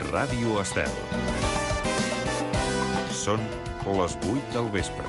Ràdio Estel. Són les 8 del vespre.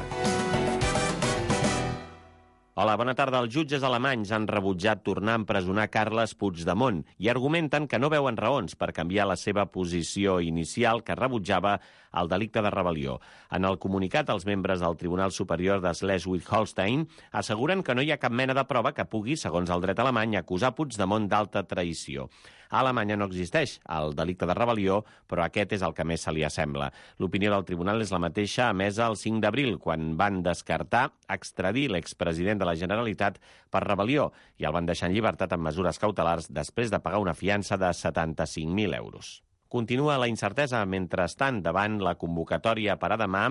Hola, bona tarda. Els jutges alemanys han rebutjat tornar a empresonar Carles Puigdemont i argumenten que no veuen raons per canviar la seva posició inicial que rebutjava el delicte de rebel·lió. En el comunicat, els membres del Tribunal Superior de Schleswig-Holstein asseguren que no hi ha cap mena de prova que pugui, segons el dret alemany, acusar Puigdemont d'alta traïció. A Alemanya no existeix el delicte de rebel·lió, però aquest és el que més se li assembla. L'opinió del tribunal és la mateixa emesa el 5 d'abril, quan van descartar extradir l'expresident de la Generalitat per rebel·lió i el van deixar en llibertat amb mesures cautelars després de pagar una fiança de 75.000 euros. Continua la incertesa, mentrestant, davant la convocatòria per a demà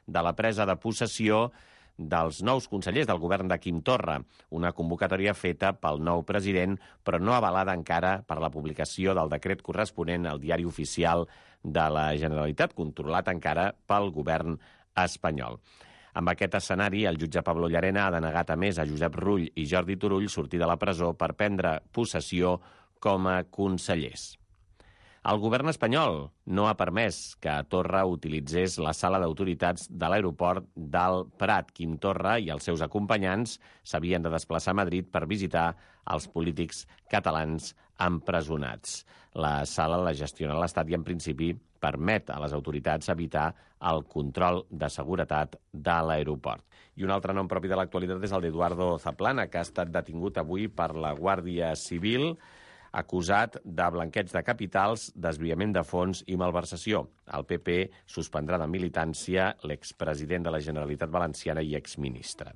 de la presa de possessió dels nous consellers del govern de Quim Torra, una convocatòria feta pel nou president, però no avalada encara per la publicació del decret corresponent al Diari Oficial de la Generalitat, controlat encara pel govern espanyol. Amb aquest escenari, el jutge Pablo Llarena ha denegat a més a Josep Rull i Jordi Turull sortir de la presó per prendre possessió com a consellers. El govern espanyol no ha permès que Torra utilitzés la sala d'autoritats de l'aeroport del Prat. Quim Torra i els seus acompanyants s'havien de desplaçar a Madrid per visitar els polítics catalans empresonats. La sala la gestiona l'Estat i, en principi, permet a les autoritats evitar el control de seguretat de l'aeroport. I un altre nom propi de l'actualitat és el d'Eduardo Zaplana, que ha estat detingut avui per la Guàrdia Civil, acusat de blanqueig de capitals, desviament de fons i malversació. El PP suspendrà de militància l'expresident de la Generalitat Valenciana i exministre.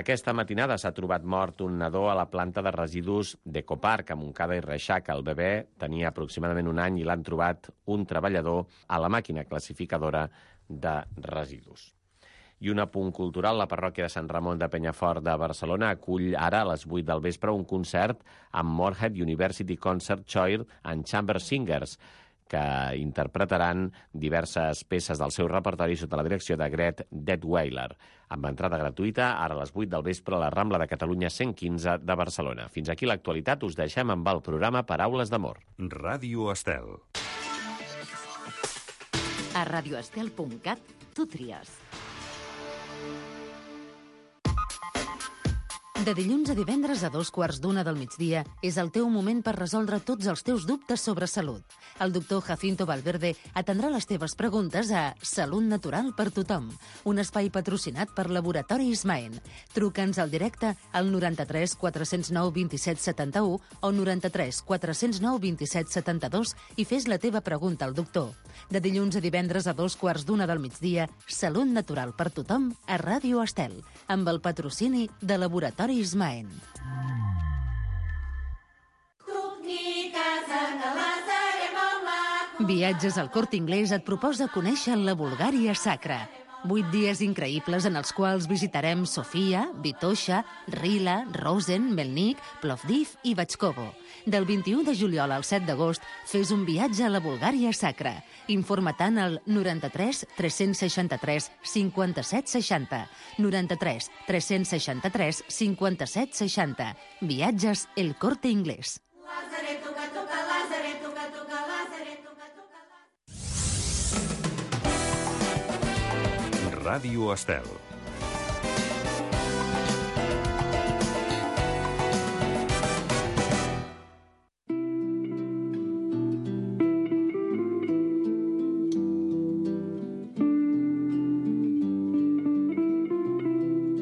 Aquesta matinada s'ha trobat mort un nadó a la planta de residus d'Ecoparc, a Montcada i Reixac. El bebè tenia aproximadament un any i l'han trobat un treballador a la màquina classificadora de residus. I un apunt cultural, la parròquia de Sant Ramon de Penyafort de Barcelona acull ara a les 8 del vespre un concert amb Moorhead University Concert Choir and Chamber Singers, que interpretaran diverses peces del seu repertori sota la direcció de Gret Detweiler, amb entrada gratuïta ara a les 8 del vespre a la Rambla de Catalunya 115 de Barcelona. Fins aquí l'actualitat, us deixem amb el programa Paraules d'Amor. Ràdio Estel. A radioestel.cat tu tries. De dilluns a divendres a 2:15 del migdia és el teu moment per resoldre tots els teus dubtes sobre salut. El doctor Jacinto Valverde atendrà les teves preguntes a Salut Natural per Tothom, un espai patrocinat per Laboratori Ismaen. Truca'ns al directe al 93 409 27 71 o 93 409 27 72 i fes la teva pregunta al doctor. De dilluns a divendres a 2:15 del migdia, Salut Natural per Tothom a Ràdio Estel, amb el patrocini de Laboratori Ismaen. Viatges al Corte Inglés et proposa conèixer la Bulgària sacra. 8 dies increïbles en els quals visitarem Sofia, Vitoša, Rila, Rosen, Melnik, Plovdiv i Batxkovo. Del 21 de juliol al 7 d'agost, fes un viatge a la Bulgària sacra. Informa-te'n al 93 363 57 60. 93 363 57 60. Viatges El Corte Inglés. Ràdio Estel.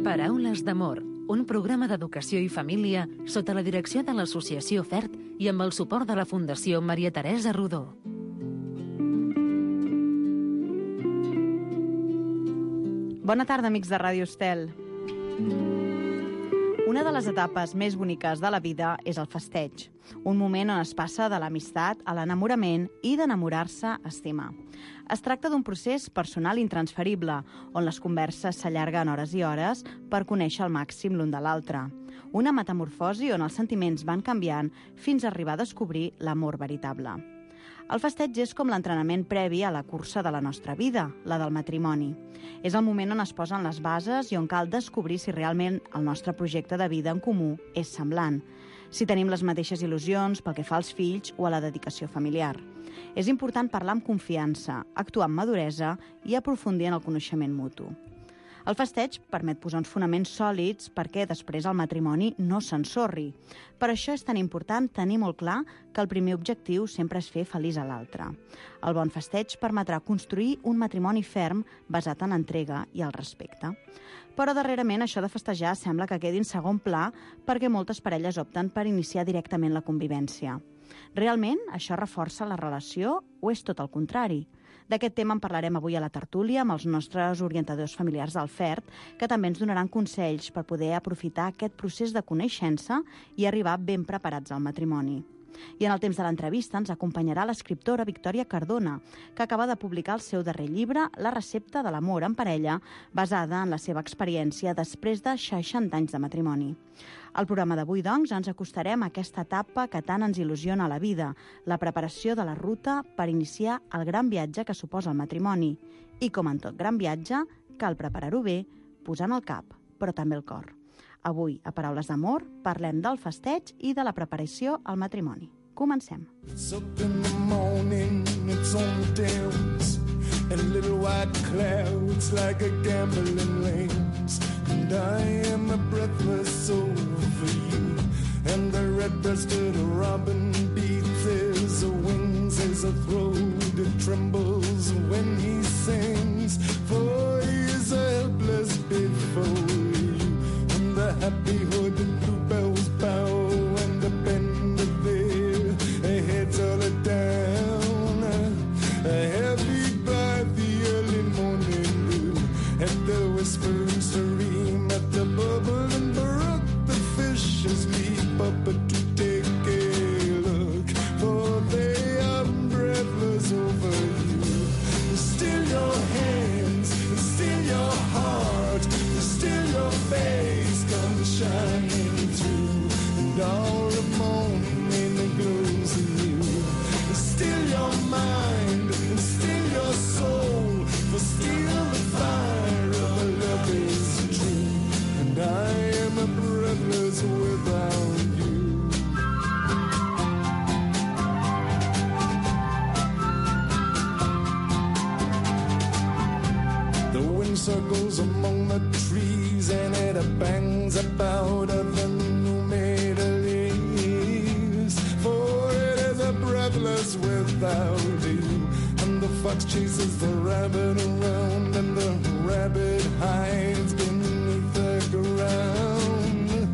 Paraules d'Amor, un programa d'educació i família sota la direcció de l'Associació FERT i amb el suport de la Fundació Maria Teresa Rodó. Bona tarda, amics de Ràdio Estel. Una de les etapes més boniques de la vida és el festeig, un moment on es passa de l'amistat a l'enamorament i d'enamorar-se a estimar. Es tracta d'un procés personal intransferible, on les converses s'allarguen hores i hores per conèixer al màxim l'un de l'altre. Una metamorfosi on els sentiments van canviant fins a arribar a descobrir l'amor veritable. El festeig és com l'entrenament previ a la cursa de la nostra vida, la del matrimoni. És el moment on es posen les bases i on cal descobrir si realment el nostre projecte de vida en comú és semblant. si tenim les mateixes il·lusions pel que fa als fills o a la dedicació familiar. És important parlar amb confiança, actuar amb maduresa i aprofundir en el coneixement mutu. El festeig permet posar uns fonaments sòlids perquè després el matrimoni no s'ensorri. Per això és tan important tenir molt clar que el primer objectiu sempre és fer feliç a l'altre. El bon festeig permetrà construir un matrimoni ferm basat en entrega i el respecte. Però darrerament això de festejar sembla que quedi en segon pla perquè moltes parelles opten per iniciar directament la convivència. Realment això reforça la relació o és tot el contrari? D'aquest tema en parlarem avui a la tertúlia amb els nostres orientadors familiars del FERT, que també ens donaran consells per poder aprofitar aquest procés de coneixença i arribar ben preparats al matrimoni. I en el temps de l'entrevista ens acompanyarà l'escriptora Victòria Cardona, que acaba de publicar el seu darrer llibre, La recepta de l'amor en parella, basada en la seva experiència després de 60 anys de matrimoni. Al programa d'avui, doncs, ens acostarem a aquesta etapa que tant ens il·lusiona a la vida, la preparació de la ruta per iniciar el gran viatge que suposa el matrimoni. I com en tot gran viatge, cal preparar-ho bé, posant el cap, però també el cor. Avui, a Paraules d'Amor, parlem del festeig i de la preparació al matrimoni. Comencem. It's up in the morning, it's on the downs, and little white clouds like a gambling rings. And I am breathless over you, and the red-breasted robin beats his wings as a throat that trembles when he sings. For he is helpless before you, and the happy hooded bluebells bow and the bend of their heads all down. Heavy by the early morning dew, at the whispering stream, at the bubbling brook, the fishes leap up to take a look, for they are breathless over you. Still your hands, still your heart, still your face comes shining through, and all the morning glows in you. Still your mind, still your soul, for still the fire of love is true, and I am breathless without you. The wind circles among the trees, and it bangs about of the new-made leaves, for it is breathless without you. And the fox chases the rabbit around, and the rabbit hides beneath the ground,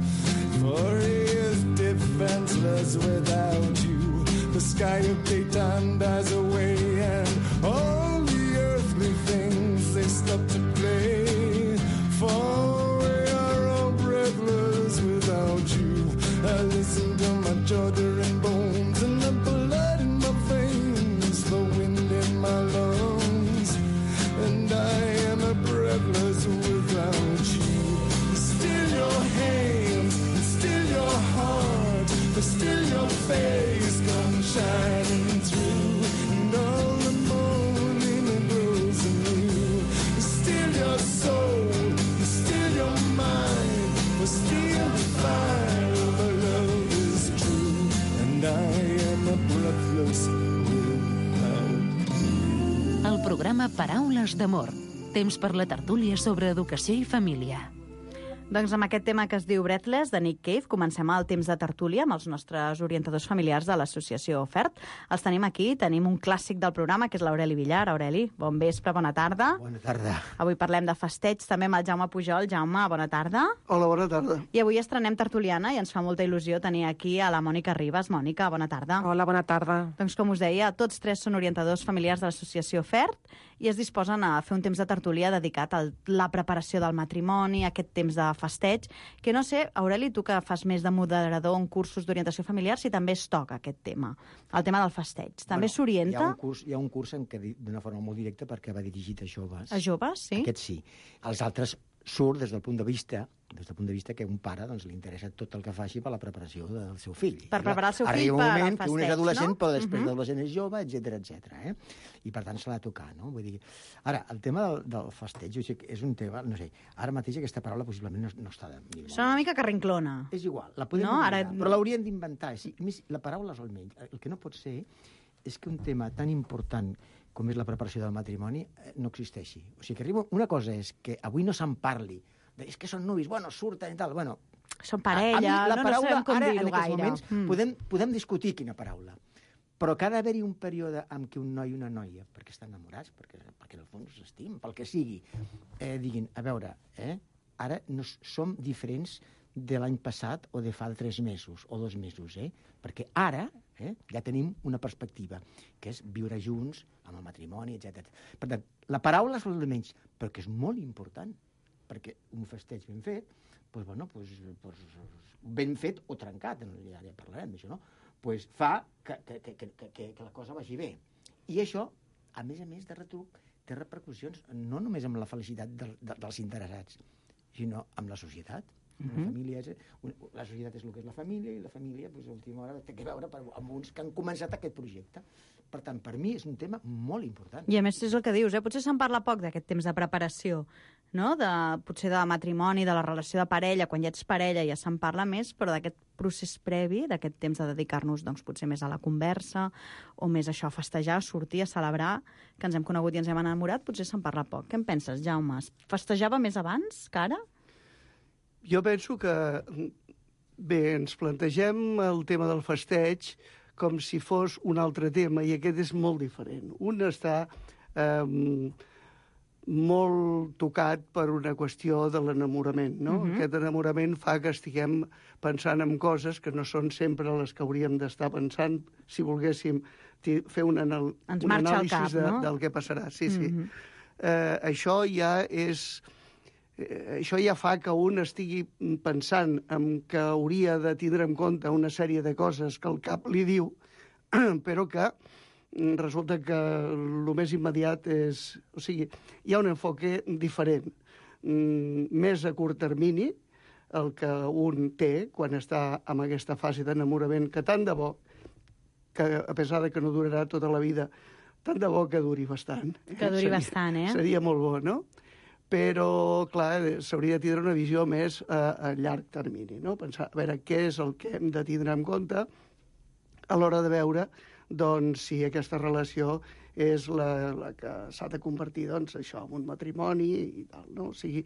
for he is defenseless without you. The sky of daytime dies away, and all the earthly things, they stop to play, for we are all breathless without you. I listen to my shuddering bones and the blood in my veins, the wind in my lungs, and I am breathless without you. Still your hands, still your heart, still your face comes shining through, and all the morning glows in you. Still your soul, still your mind, for still the fire of love is true, and I am breathless without you. El programa Paraules d'Amor. Temps per la tertúlia sobre educació i família. Doncs amb aquest tema que es diu Breathless, de Nick Cave, comencem el temps de tertúlia amb els nostres orientadors familiars de l'associació FERT. Els tenim aquí, tenim un clàssic del programa, que és l'Aureli Villar. Aureli, bon vespre, bona tarda. Bona tarda. Avui parlem de festeig, també amb el Jaume Pujol. Jaume, bona tarda. Hola, bona tarda. I avui estrenem tertuliana i ens fa molta il·lusió tenir aquí a la Mònica Ribas. Mònica, bona tarda. Hola, bona tarda. Doncs com us deia, tots tres són orientadors familiars de l'associació FERT i es disposen a fer un temps de tertúlia dedicat a la preparació del matrimoni, aquest temps de festeig, que no sé, Aureli, tu que fas més de moderador en cursos d'orientació familiar, si també es toca aquest tema, el tema del festeig. També s'orienta... Hi ha un curs en què d'una forma molt directa perquè va dirigit a joves. A joves, sí? Aquest sí. Els altres surt des del punt de vista des del punt de vista que a un pare doncs, li interessa tot el que faci per la preparació del seu fill. Per preparar el seu fill Arriba un per al moment que un és festeig, adolescent, no? però després d'adolescent és jove, etc. I per tant se l'ha de tocar, no? Vull dir... Ara, el tema del festeig, jo sé que és un tema, no sé, ara mateix aquesta paraula possiblement no està de mi. Sona una mica carrinclona. És igual, la podem No, inventar, ara- però l'hauríem d'inventar. Sí, a més, la paraula és el menys. El que no pot ser és que un tema tan important com és la preparació del matrimoni no existeixi. O sigui, que arriba... Una cosa és que avui no se'n parli, és que són nuvis, bueno, surten i tal, bueno... Són parella, la no paraula, sabem com ara, dir-ho en aquests gaire. moments, podem discutir quina paraula. Però que ha d'haver-hi un període en què un noi i una noia, perquè estan enamorats, perquè en el fons s'estimen, pel que sigui, diguin, a veure, ara no som diferents de l'any passat o de fa 3 mesos o 2 mesos, perquè ara ja tenim una perspectiva, que és viure junts amb el matrimoni, etc. Per tant, la paraula és el de menys, però que és molt important, perquè un festeig ben fet, ben fet o trencat, ja parlarem d'això, no? Fa que la cosa vagi bé. I això, a més de retruc, té repercussions no només amb la felicitat dels interessats, sinó amb la societat. La societat és el que és la família, i la família, a última hora, té que veure amb uns que han començat aquest projecte. Per tant, per mi és un tema molt important. I a més és el que dius, potser se'n parla poc d'aquest temps de preparació, no? Potser de matrimoni, de la relació de parella, quan ja ets parella ja se'n parla més, però d'aquest procés previ, d'aquest temps de dedicar-nos doncs, potser més a la conversa, o més això, a festejar, a sortir, a celebrar, que ens hem conegut i ens hem enamorat, potser se'n parla poc. Què en penses, Jaume? Festejava més abans que ara? Jo penso que, bé, ens plantegem el tema del festeig com si fos un altre tema, i aquest és molt diferent. Un està molt tocat per una qüestió de l'enamorament, no? Aquest enamorament fa que estiguem pensant en coses que no són sempre les que hauríem d'estar pensant si volguéssim fer un anàlisi del que passarà. Sí. Això ja és... Això ja fa que un estigui pensant en que hauria de tindre en compte una sèrie de coses que el cap li diu, però que resulta que el més immediat és... O sigui, hi ha un enfoque diferent, més a curt termini, el que un té quan està en aquesta fase d'enamorament, que tant de bo, que a pesar de que no durarà tota la vida, tant de bo que duri bastant. Que duri bastant, eh? Seria molt bo, no? Però, clar, s'hauria de tindre una visió més a llarg termini, no? Pensar, a veure, què és el que hem de tindre en compte a l'hora de veure, doncs, si aquesta relació és la que s'ha de convertir, doncs, això, en un matrimoni i tal, no? O sigui,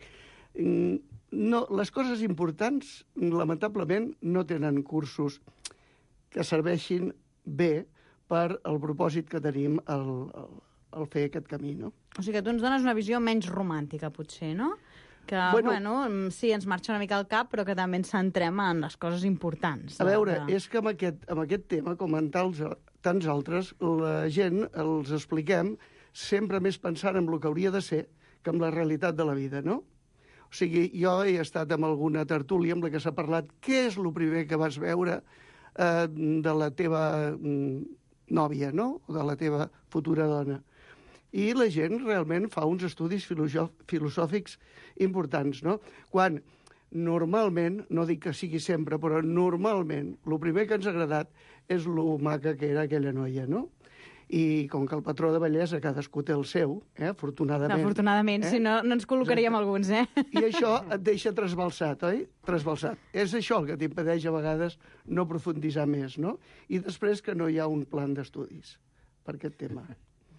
no, les coses importants, lamentablement, no tenen cursos que serveixin bé per al propòsit que tenim al fer aquest camí, no? O sigui que tu ens dones una visió menys romàntica, potser, no? Que, bueno, sí, ens marxa una mica el cap, però que també ens centrem en les coses importants. A veure, és que amb aquest tema, com en tants altres, la gent els expliquem sempre més pensant en el que hauria de ser que en la realitat de la vida, no? O sigui, jo he estat en alguna tertúlia amb la que s'ha parlat què és el primer que vas veure de la teva nòvia, no? O de la teva futura dona. I la gent realment fa uns estudis filosòfics importants, no? Quan normalment, no dic que sigui sempre, però normalment, el primer que ens ha agradat és lo maca que era aquella noia, no? I com que el patró de bellesa cadascú té el seu, afortunadament... Afortunadament, si no, no ens col·locaríem alguns, I això et deixa trasbalsat, oi? Trasbalsat. És això el que t'impedeix a vegades no profunditzar més, no? I després que no hi ha un plan d'estudis per aquest tema.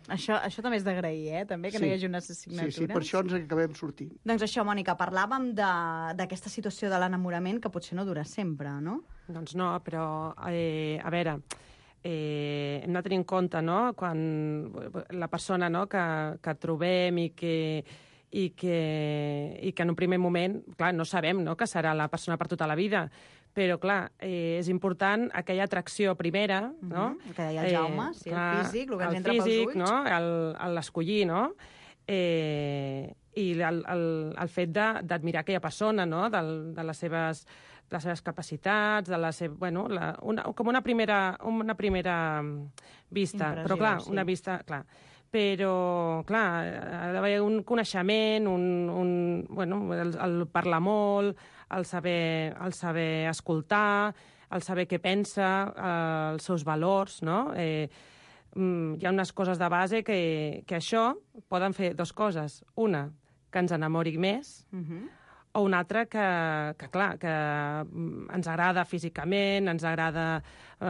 Això també és d'agrair, també, que no hi hagi unes assignatures. Sí, per això ens acabem sortint. Doncs això, Mònica, parlàvem d'aquesta situació de l'enamorament que potser no dura sempre, no? Doncs no, però, a veure, hem de tenir en compte, no?, quan la persona, no?, que trobem i que en un primer moment, clar, no sabem, no?, que serà la persona per tota la vida, però, clar, és important aquella atracció primera, no? El que deia el Jaume, sí, clar, el físic, el que ens entra pels ulls. No? L'escollir, no? I el fet d'admirar aquella persona, no?, de les seves capacitats, de la seva, bueno, com una primera vista. Impressió, però, clar, sí. una vista, clar. Però, clar, ha d'haver un coneixement, bueno, el parlar molt, el saber escoltar, el saber què pensa, els seus valors, no? Hi ha unes coses de base que això poden fer dues coses. Una, que ens enamori més, o una altra que ens agrada físicament, ens agrada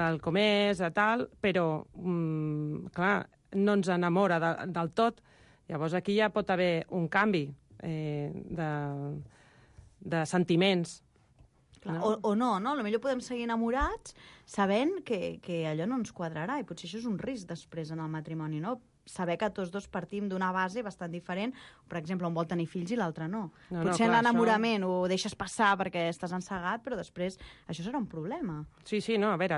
el com és, tal, però, clar, no ens enamora del tot. Llavors aquí ja pot haver un canvi de sentiments. Clar, o no, no? Potser podem seguir enamorats sabent que allò no ens quadrarà, i potser això és un risc després en el matrimoni, no? Saber que tots dos partim d'una base bastant diferent, per exemple, un vol tenir fills i l'altre no. Potser en l'enamorament ho deixes passar perquè estàs encegat, però després això serà un problema. Sí, no, a veure,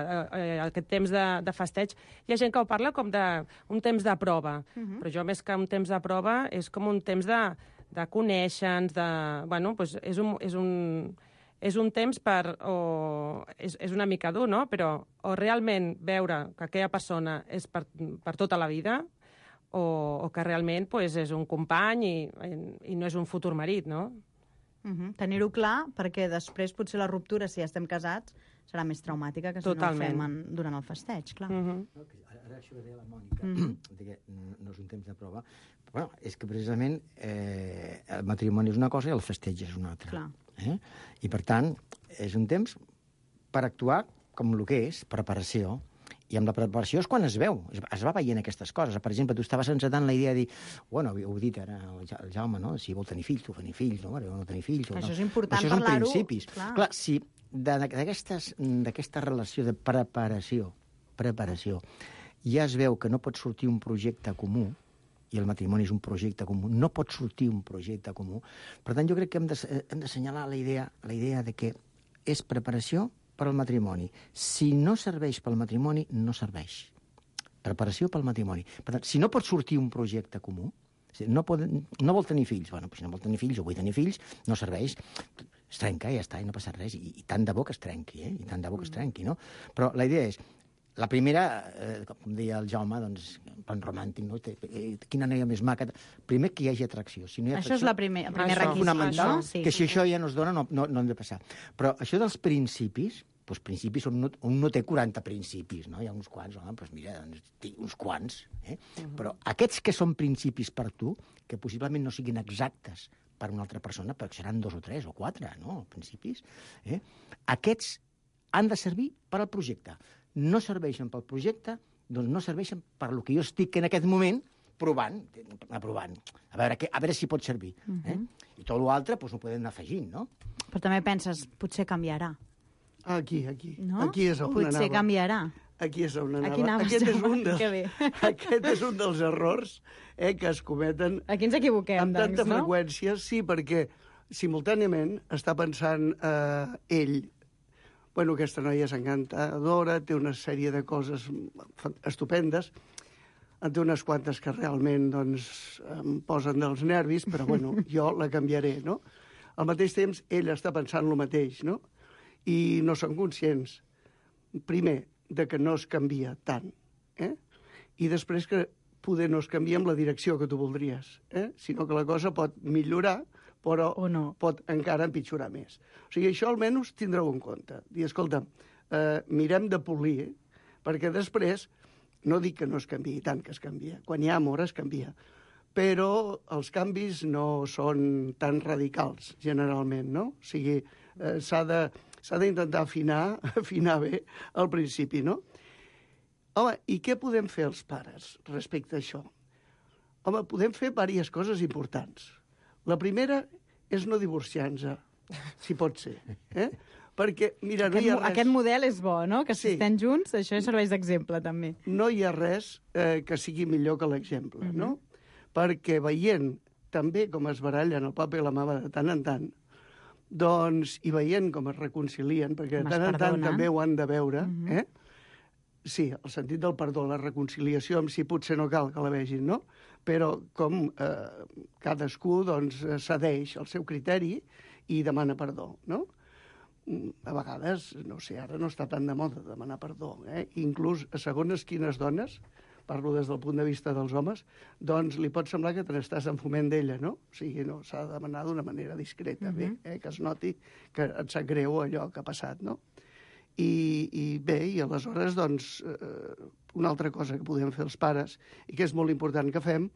aquest temps de festeig, hi ha gent que ho parla com d'un temps de prova, però jo més que un temps de prova és com un temps de conèixer-nos, bueno, doncs és un temps és una mica dur, no? Però o realment veure que aquella persona és per tota la vida, o que realment és un company i no és un futur marit, no? Tenir-ho clar, perquè després potser la ruptura, si ja estem casats, serà més traumàtica que si no ho fem durant el festeig, clar. Ara això que deia la Mònica, que no és un temps de prova, però és que precisament el matrimoni és una cosa i el festeig és una altra. I per tant, és un temps per actuar com el que és, preparació. I amb la preparació és quan es veu, es va veient aquestes coses. Per exemple, tu estaves encetant la idea de dir, bueno, ho he dit ara el Jaume, no? Si vol tenir fills, tu tenir fills, no? No tenir fills. Això és important parlar-ho. Això són principis. Clar, si d'aquesta relació de preparació, ja es veu que no pot sortir un projecte comú, i el matrimoni és un projecte comú, no pot sortir un projecte comú. Per tant, jo crec que hem d'assenyalar la idea de que és preparació per al matrimoni. Si no serveix pel matrimoni, no serveix. Preparació pel matrimoni. Per tant, si no pot sortir un projecte comú, no vol tenir fills, bueno, si no vol tenir fills o vull tenir fills, no serveix, es trenca i ja està, i no passa res, i tant de bo que es trenqui, i tant de bo que es trenqui, no? Però la idea és, la primera, com deia el Jaume, doncs, plan romàntic, no? Quina noia més maca. Primer, que hi hagi atracció. Si no hi ha atracció, això és el primer requisit. Fonamental, que si això ja no es dona, no hem de passar. Però això dels principis, doncs principis, un no té 40 principis, no? Hi ha uns quants, doncs mira, uns quants. Però aquests que són principis per tu, que possiblement no siguin exactes per una altra persona, perquè seran 2 o 3 o 4, no?, principis, aquests han de servir per al projecte. No serveixen pel projecte, doncs no serveixen per lo que jo estic en aquest moment aprovant, a veure si pot servir. I tot l'altre doncs ho podem anar afegint, no? Però també penses, potser canviarà. Aquí. No? Aquí és on anava. Potser canviarà. Aquí és on anava. Aquí anaves, Aquest és un dels errors que es cometen aquí ens equivoquem, amb tanta no? freqüència. Sí, perquè simultàniament està pensant ell, bueno, aquesta noia és encantadora, té una sèrie de coses estupendes, en té unes quantes que realment doncs, em posen dels nervis, però bueno, jo la canviaré, no? Al mateix temps, ell està pensant el mateix, no? I no són conscients, primer, de que no es canvia tant, i després que poder no es canvia en la direcció que tu voldries, sinó que la cosa pot millorar, però pot encara empitjorar més. O sigui, això almenys tindreu en compte. Dir, escolta, mirem de polir, perquè després, no dic que no es canviï, tant que es canvia. Quan hi ha amor es canvia. Però els canvis no són tan radicals, generalment, no? O sigui, s'ha d'intentar afinar bé al principi, no? Home, i què podem fer els pares respecte a això? Home, podem fer diverses coses importants. La primera és no divorciar-nos, si pot ser. Perquè, mira, no hi ha res... Aquest model és bo, no? Que si estem junts, això serveix d'exemple, també. No hi ha res que sigui millor que l'exemple, no? Perquè veient també com es barallen el papa i la mama de tant en tant, doncs, i veient com es reconcilien, perquè de tant en tant també ho han de veure, sí, el sentit del perdó, la reconciliació amb si potser no cal que la vegin, no? Però com cadascú doncs, cedeix el seu criteri i demana perdó, no? A vegades, no sé, ara no està tan de moda demanar perdó, Inclús a segones quines dones parlo des del punt de vista dels homes, doncs li pot semblar que te n'estàs en foment d'ella, no? O sigui, no, s'ha de demanar d'una manera discreta, bé, que es noti que et sap greu allò que ha passat, no? I bé, i aleshores, doncs, una altra cosa que podem fer els pares, i que és molt important que fem,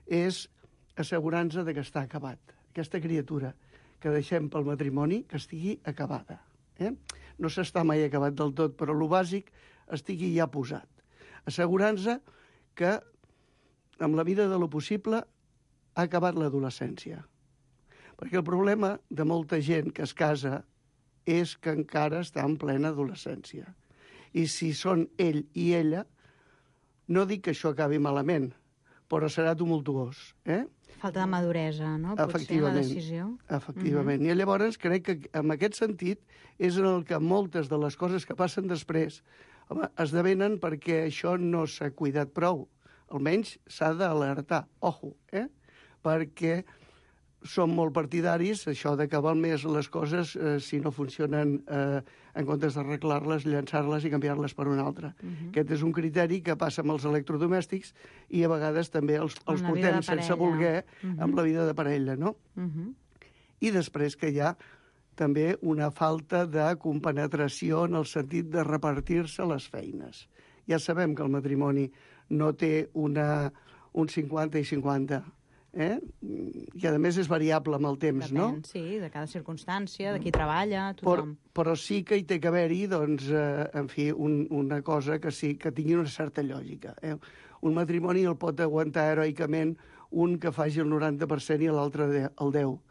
és assegurar-nos que està acabat. Aquesta criatura que deixem pel matrimoni, que estigui acabada. No s'està mai acabat del tot, però el bàsic estigui ja posat. Assegurant-se que amb la vida de lo possible ha acabat l'adolescència. Perquè el problema de molta gent que es casa és que encara està en plena adolescència. I si són ell i ella, no dic que això acabi malament, però serà tumultuós. Falta de maduresa, no? Potser la decisió. Efectivament. I llavors crec que en aquest sentit és en el que moltes de les coses que passen després esdevenen perquè això no s'ha cuidat prou. Almenys s'ha d'alertar. Ojo, perquè som molt partidaris, això d'acabar més les coses, si no funcionen, en comptes d'arreglar-les, llançar-les i canviar-les per una altra. Aquest és un criteri que passa amb els electrodomèstics i a vegades també els portem sense voler amb la vida de parella, no? I després que hi ha també una falta de compenetració en el sentit de repartir-se les feines. Ja sabem que el matrimoni no té un 50 i 50, i a més és variable amb el temps, no? Depèn, sí, de cada circumstància, de qui treballa, tothom. Però sí que hi té que haver-hi, doncs, en fi, una cosa que sí que tingui una certa lògica. Un matrimoni el pot aguantar heroicament un que faci el 90% i l'altre el 10%.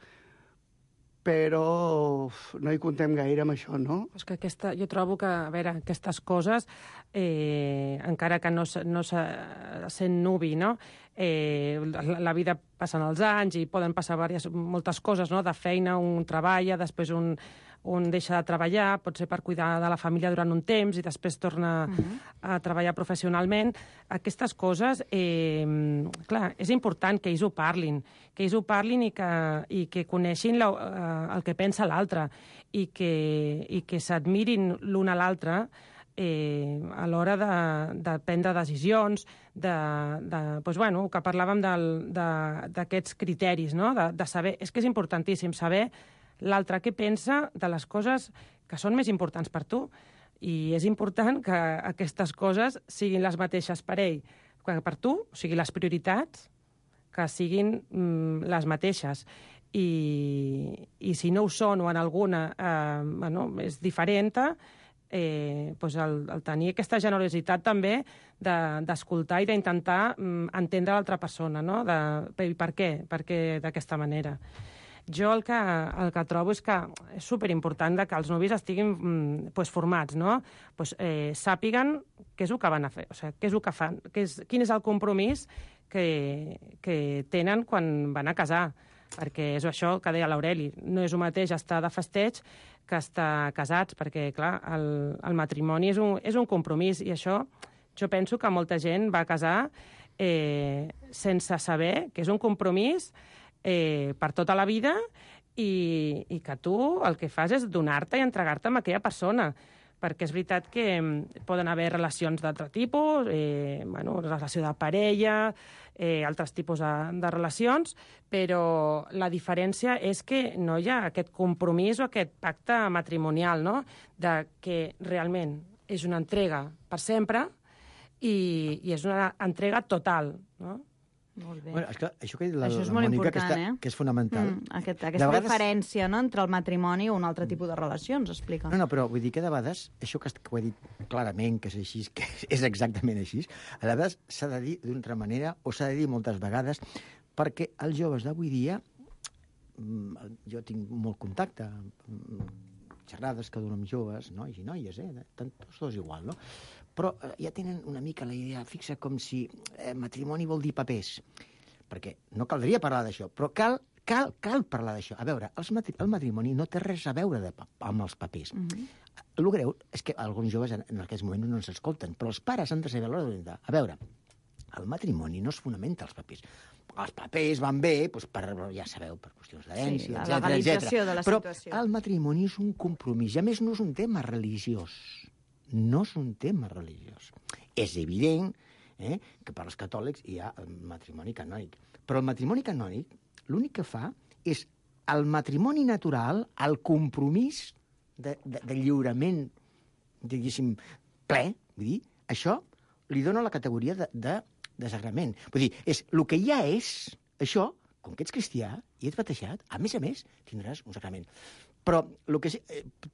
Però no hi contem gaire amb això, no? És que jo trobo que, a veure, aquestes coses, encara que no sent nuvi, no? La vida passen els anys i poden passar moltes coses, no? De feina, un treballa, després un deixa de treballar, pot ser per cuidar de la família durant un temps i després torna a treballar professionalment. Aquestes coses, clar, és important que ells ho parlin i que coneixin el que pensa l'altre i que s'admirin l'un a l'altre a l'hora de prendre decisions, que parlàvem d'aquests criteris, no? De saber, és que és importantíssim saber l'altre què pensa de les coses que són més importants per tu. I és important que aquestes coses siguin les mateixes per ell que per tu, o sigui, les prioritats que siguin les mateixes. I si no ho són o en alguna és diferent, el tenir aquesta generositat també d'escoltar i d'intentar entendre l'altra persona, no? Per què d'aquesta manera. Jo el que trobo és que és superimportant que els nuvis estiguin formats, no? Sàpiguen què és el que van a fer, o sigui, què és el que fan, quin és el compromís que tenen quan van a casar, perquè és això que deia l'Aureli, no és el mateix estar de festeig que estar casats, perquè, clar, el matrimoni és un compromís, i això jo penso que molta gent va a casar sense saber que és un compromís per tota la vida i que tu el que fas és donar-te i entregar-te a aquella persona, perquè és veritat que poden haver relacions d'altre tipus, relació de parella, altres tipus de relacions, però la diferència és que no hi ha aquest compromís o aquest pacte matrimonial, no? De que realment és una entrega per sempre i és una entrega total, no? Molt bé. Bueno, esclar, això que ha dit això és molt Mònica, important, que és fonamental. Aquesta vegades... diferència, no?, entre el matrimoni o un altre tipus de relacions, explica. No, però vull dir que de vegades, això que ho he dit clarament, que és així, que és exactament així, a vegades s'ha de dir d'una altra manera, o s'ha de dir moltes vegades, perquè els joves d'avui dia, jo tinc molt contacte, xerrades que dono amb joves, nois i noies, tant tots dos igual, no? Però ja tenen una mica la idea fixa com si matrimoni vol dir papers. Perquè no caldria parlar d'això, però cal parlar d'això. A veure, el matrimoni no té res a veure amb els papers. El greu és que alguns joves en aquests moments no ens escolten, però els pares han de saber a l'hora d'orientar. A veure, el matrimoni no es fonamenta als papers. Els papers van bé, ja sabeu, per qüestions d'herència, la legalització de la situació. Però el matrimoni és un compromís, i a més no és un tema religiós. No és un tema religiós. És evident que per als catòlics hi ha el matrimoni canònic. Però el matrimoni canònic l'únic que fa és el matrimoni natural, el compromís de lliurament, diguéssim, ple, vull dir, això li dona la categoria de sagrament. Vull dir, el que ja és, això, com que ets cristià i ets batejat, a més, tindràs un sagrament. Però,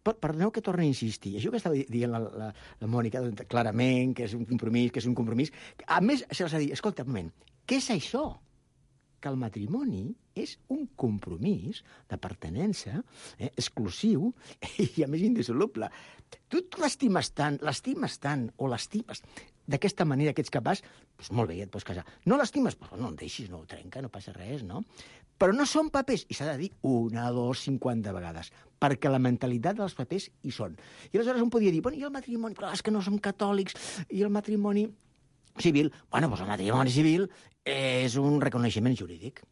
perdoneu que torni a insistir, això que estava dient la Mònica, clarament, que és un compromís, a més, se l'ha de dir, escolta, un moment, què és això? Que el matrimoni és un compromís de pertinença exclusiu i, a més, indissoluble. Tu l'estimes tant, o l'estimes d'aquesta manera que ets capaç, doncs molt bé, ja et pots casar. No l'estimes? Doncs no el deixis, no ho trenca, no passa res, no? Però no són papers, i s'ha de dir 1, 2, 50 vegades, perquè la mentalitat dels papers hi són. I aleshores un podia dir, bueno, i el matrimoni? Però és que no som catòlics, i el matrimoni civil? Bueno, doncs el matrimoni civil és un reconeixement jurídic.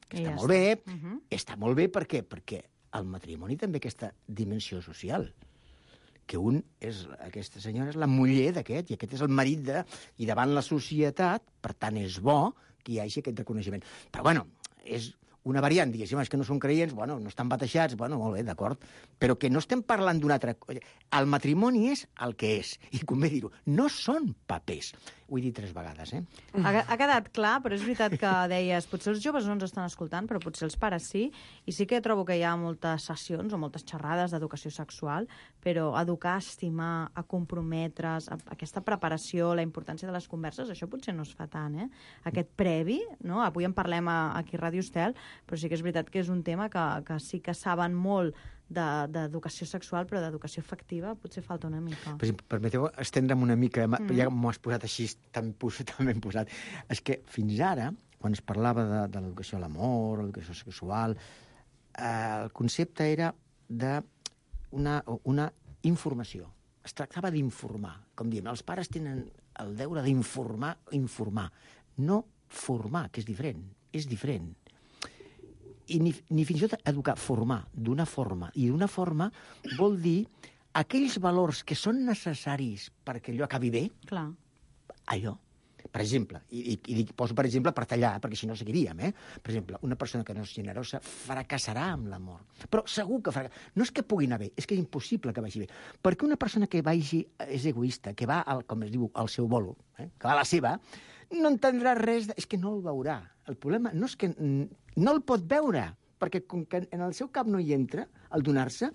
Que està molt bé. Està molt bé, per què? Perquè el matrimoni també aquesta dimensió social, que aquesta senyora és la muller d'aquest, i aquest és el marit i davant la societat, per tant, és bo que hi hagi aquest reconeixement. Però, bueno, és una variant, diguéssim, és que no són creients, bueno, no estan batejats, bueno, molt bé, d'acord, però que no estem parlant d'una altra cosa. El matrimoni és el que és, i convé dir-ho, no són papers. Ho he dit 3 vegades, Ha quedat clar, però és veritat que deies, potser els joves no ens estan escoltant, però potser els pares sí, i sí que trobo que hi ha moltes sessions o moltes xerrades d'educació sexual, però educar, estimar, a comprometre's, aquesta preparació, la importància de les converses, això potser no es fa tant, Aquest previ, no? Avui en parlem aquí a Ràdio Estel, però sí que és veritat que és un tema que sí que saben molt d'educació sexual, però d'educació afectiva potser falta una mica. Permeteu estendre'm una mica, ja m'ho has posat així tan ben posat. És que fins ara, quan es parlava de l'educació a l'amor, l'educació sexual, el concepte era d'una informació. Es tractava d'informar. Com diem, els pares tenen el deure d'informar, no formar, que és diferent. És diferent. I ni fins i tot educar, formar, d'una forma. I d'una forma vol dir aquells valors que són necessaris perquè allò acabi bé, clar. Allò. Per exemple, i poso per exemple per tallar, perquè si no seguiríem, Per exemple, una persona que no és generosa fracassarà amb l'amor. Però segur que fracassarà. No és que pugui anar bé, és que és impossible que vagi bé. Perquè una persona que és egoista, que va, com es diu, al seu bolo, que va a la seva, no entendrà res, és que no el veurà. El problema no és que no el pot veure, perquè com que en el seu cap no hi entra, al donar-se,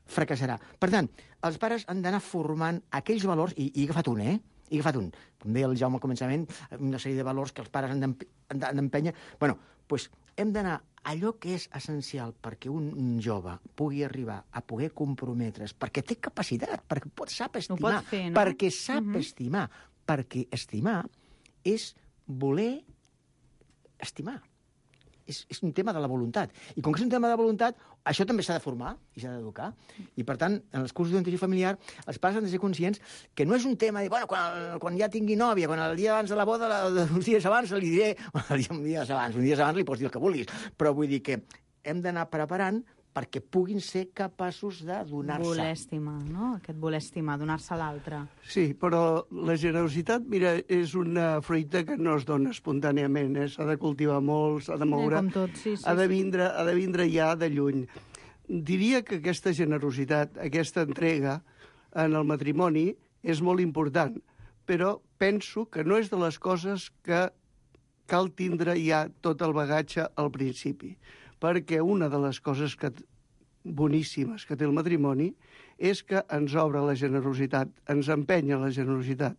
fracassarà. Per tant, els pares han d'anar formant aquells valors, i he agafat un, He agafat un. Com deia el Jaume al començament, una sèrie de valors que els pares han d'empènyer. Bueno, doncs hem d'anar allò que és essencial perquè un jove pugui arribar a poder comprometre's, perquè té capacitat, perquè sap estimar, ho pot fer, no? perquè sap estimar, perquè estimar és voler estimar. És un tema de la voluntat. I com que és un tema de voluntat, això també s'ha de formar i s'ha d'educar. I, per tant, en els cursos d'orientació familiar, els pares han de ser conscients que no és un tema de, bueno, quan ja tingui nòvia, quan el dia abans de la boda, uns dies abans li diré, uns dies abans li pots dir el que vulguis, però vull dir que hem d'anar preparant perquè puguin ser capaços de donar-se. Voler estimar, no? Aquest voler estimar, donar-se a l'altre. Sí, però la generositat, mira, és una fruita que no es dona espontàniament, S'ha de cultivar molt, s'ha de moure, com tot, sí, ha de vindre ja de lluny. Diria que aquesta generositat, aquesta entrega en el matrimoni és molt important, però penso que no és de les coses que cal tindre ja tot el bagatge al principi, perquè una de les coses boníssimes que té el matrimoni és que ens obre la generositat, ens empenya la generositat,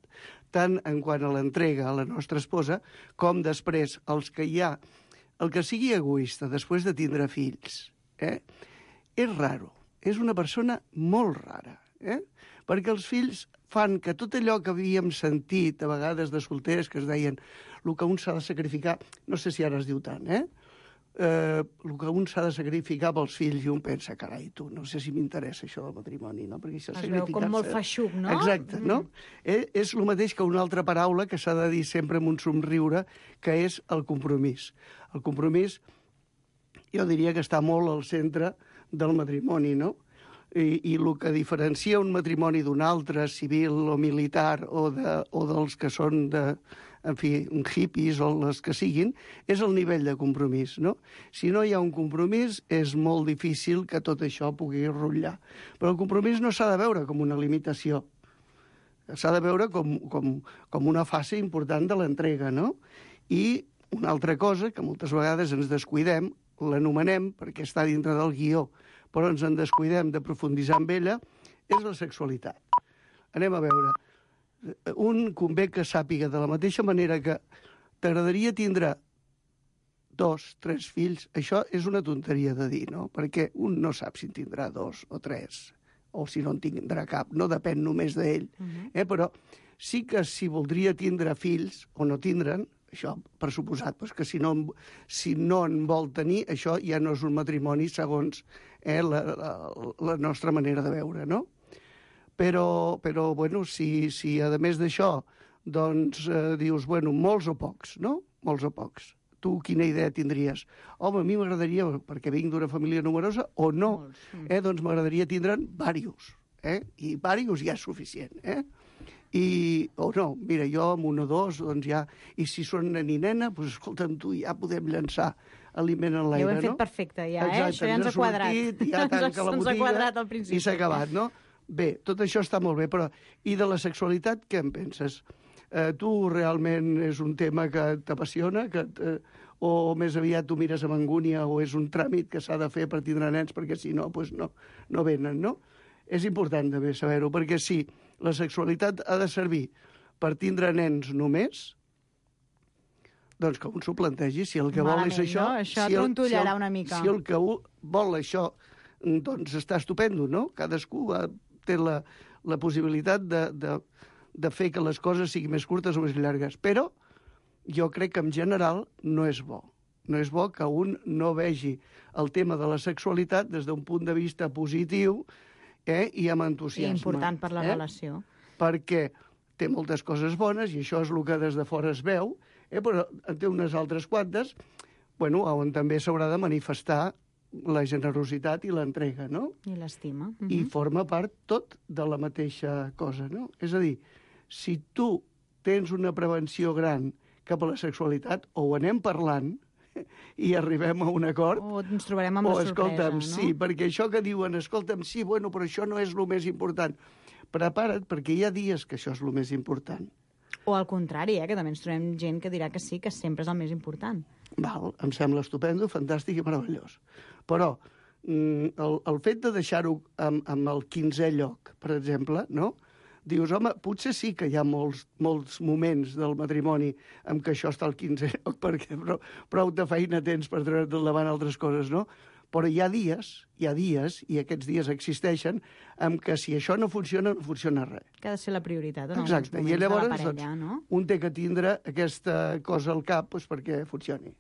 tant en quant a l'entrega a la nostra esposa, com després el que sigui egoista després de tindre fills. És raro, és una persona molt rara, perquè els fills fan que tot allò que havíem sentit a vegades de solters que es deien el que un s'ha de sacrificar, no sé si ara es diu tant, el que un s'ha de sacrificar pels fills i un pensa, carai, tu, no sé si m'interessa això del matrimoni, no? Perquè això es veu com molt feixuc, no? Exacte, no? És el mateix que una altra paraula que s'ha de dir sempre amb un somriure, que és el compromís. El compromís, jo diria que està molt al centre del matrimoni, no? I el que diferencia un matrimoni d'un altre, civil o militar, o dels que són hippies o les que siguin, és el nivell de compromís, no? Si no hi ha un compromís, és molt difícil que tot això pugui rotllar. Però el compromís no s'ha de veure com una limitació, s'ha de veure com una fase important de l'entrega, no? I una altra cosa, que moltes vegades ens descuidem, l'anomenem perquè està dintre del guió, però ens en descuidem de profunditzar en ella, és la sexualitat. Anem a veure. Un convé que sàpiga de la mateixa manera que t'agradaria tindre 2, 3 fills, això és una tonteria de dir, no? Perquè un no sap si en tindrà 2 o 3, o si no en tindrà cap, no depèn només d'ell. Però sí que si voldria tindre fills o no tindre'n, això per suposat, que si no en vol tenir, això ja no és un matrimoni segons la nostra manera de veure, no? Però bueno, si a més d'això, doncs dius, bueno, molts o pocs, no? Molts o pocs. Tu quina idea tindries? Home, a mi m'agradaria, perquè vinc d'una família numerosa, o no, doncs m'agradaria tindre'n diversos, i diversos ja és suficient, o no, mira, jo amb un o dos, doncs ja, i si són nen i nena, doncs escolta'm tu, ja podem llançar aliment en l'aire, no? Ja ho hem fet perfecte, ja, exacte, això ja ens ha quadrat. Ja tanca la botiga, ens ha quadrat al principi. I s'ha acabat, no? Bé, tot això està molt bé, però i de la sexualitat què en penses? Tu realment és un tema que t'apassiona, o més aviat tu mires amb angúnia, o és un tràmit que s'ha de fer per tindre nens, perquè si no, doncs no venen, no? És important també saber-ho, perquè si la sexualitat ha de servir per tindre nens només, doncs que un s'ho plantegi, si el que vol és això... No? Això trontollarà una mica. Si el que vol això, doncs està estupendo, no? Cadascú té la possibilitat de fer que les coses siguin més curtes o més llargues, però jo crec que en general no és bo. No és bo que un no vegi el tema de la sexualitat des d'un punt de vista positiu i amb entusiasme. I important per la relació. Perquè té moltes coses bones, i això és el que des de fora es veu, però en té unes altres quantes, on també s'haurà de manifestar la generositat i l'entrega, no? I l'estima. I forma part tot de la mateixa cosa, no? És a dir, si tu tens una prevenció gran cap a la sexualitat, o ho anem parlant i arribem a un acord... O ens trobarem amb la sorpresa, escolta'm, no? sí, perquè això que diuen, escolta'm, sí, bueno, però això no és el més important. Prepara't, perquè hi ha dies que això és el més important. O al contrari, que també ens trobem gent que dirà que sí, que sempre és el més important. Val, em sembla estupendo, fantàstic i meravellós. Però el fet de deixar-ho amb el 15è lloc, per exemple, no? Dius, home, potser sí que hi ha molts moments del matrimoni en què això està al 15è lloc, perquè prou de feina tens per treure't endavant altres coses, no? Però hi ha dies, i aquests dies existeixen, en què si això no funciona res. Que ha de ser la prioritat en exacte. alguns moments I llavors, de la parella, no? Un té que tindre aquesta cosa al cap perquè funcioni.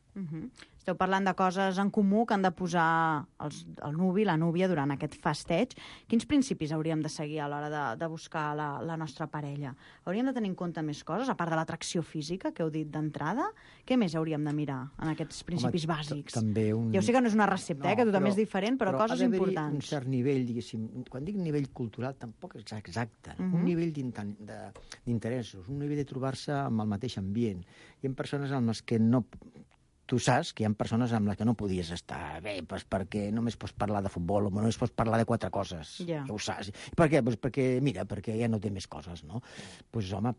Esteu parlant de coses en comú que han de posar el nuvi, la núvia, durant aquest festeig. Quins principis hauríem de seguir a l'hora de buscar la nostra parella? Hauríem de tenir en compte més coses, a part de l'atracció física, que heu dit d'entrada? Què més hauríem de mirar en aquests principis bàsics? Ja ho sé que no és una recepta, que tothom és diferent, però coses importants. Un cert nivell, diguéssim, quan dic nivell cultural, tampoc és exacte. Un nivell d'interessos, un nivell de trobar-se amb el mateix ambient. Hi ha persones amb les que no... Tu saps que hi ha persones amb les que no podies estar bé, perquè només pots parlar de futbol o només pots parlar de 4 coses. Ja ho saps. Per què? Perquè ja no té més coses, no? Doncs, home,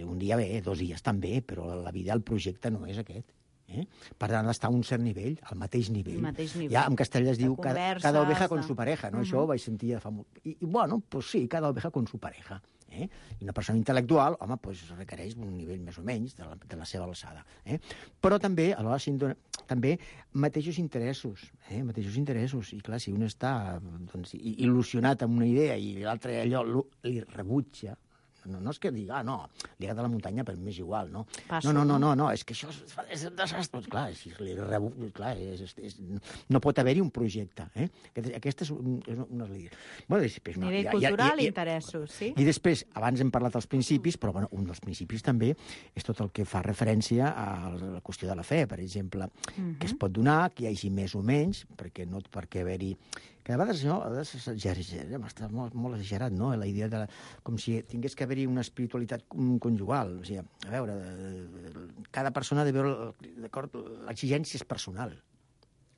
un dia bé, 2 dies també, però la vida, el projecte no és aquest. Per tant, ha d'estar a un cert nivell, al mateix nivell. Ja en castellà es diu cada oveja con su pareja, no? Això ho vaig sentir fa molt... I bueno, doncs sí, cada oveja con su pareja. I una persona intel·lectual, home, requereix un nivell més o menys de la seva alçada. Però també, alhora, també mateixos interessos. I clar, si un està il·lusionat amb una idea i l'altre allò li rebutja, no és que digui, no, li agrada la muntanya, però m'és igual, no? No, és que això és un desastre. Clar, no pot haver-hi un projecte. Aquesta és una línia. Nivell cultural i interessos, sí? I després, abans hem parlat dels principis, però un dels principis també és tot el que fa referència a la qüestió de la fe, per exemple, que es pot donar, que hi hagi més o menys, perquè no per què haver-hi Que a vegades està molt exagerat, no?, la idea de... Com si tingués que haver-hi una espiritualitat conjugal. O sigui, a veure, cada persona ha de veure... D'acord? L'exigència és personal.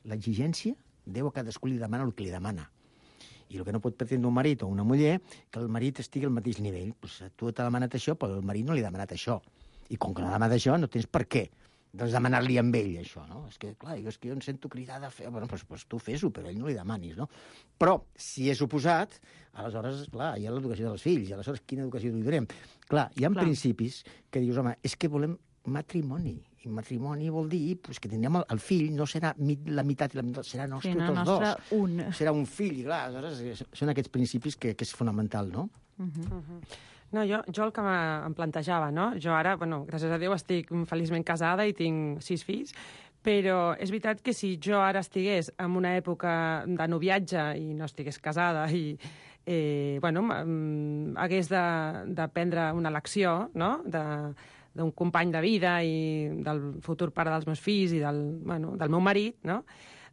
L'exigència, Déu a cadascú li demana el que li demana. I el que no pot pretendre un marit o una muller, que el marit estigui al mateix nivell. Pues, tu t'ha demanat això, però el marit no li ha demanat això. I com que no ha demanat això, no tens per què doncs demanar-li amb ell, això, no? És que, clar, jo em sento cridada a fer... Bueno, doncs tu fes-ho, però ell no li demanis, no? Però, si és oposat, aleshores, clar, hi ha l'educació dels fills, i aleshores quina educació li donem? Clar, hi ha principis que dius, home, és que volem matrimoni, i matrimoni vol dir pues, que tindrem el fill, no serà la meitat i la meitat, serà nostre tots dos. Serà un fill, i clar, aleshores són aquests principis que és fonamental, no? No, jo el que em plantejava, no? Jo ara, bueno, gràcies a Déu, estic feliçment casada i tinc 6 fills, però és veritat que si jo ara estigués en una època de noviatge i no estigués casada i hagués de prendre una elecció, no?, d'un company de vida i del futur pare dels meus fills i del meu marit, no?,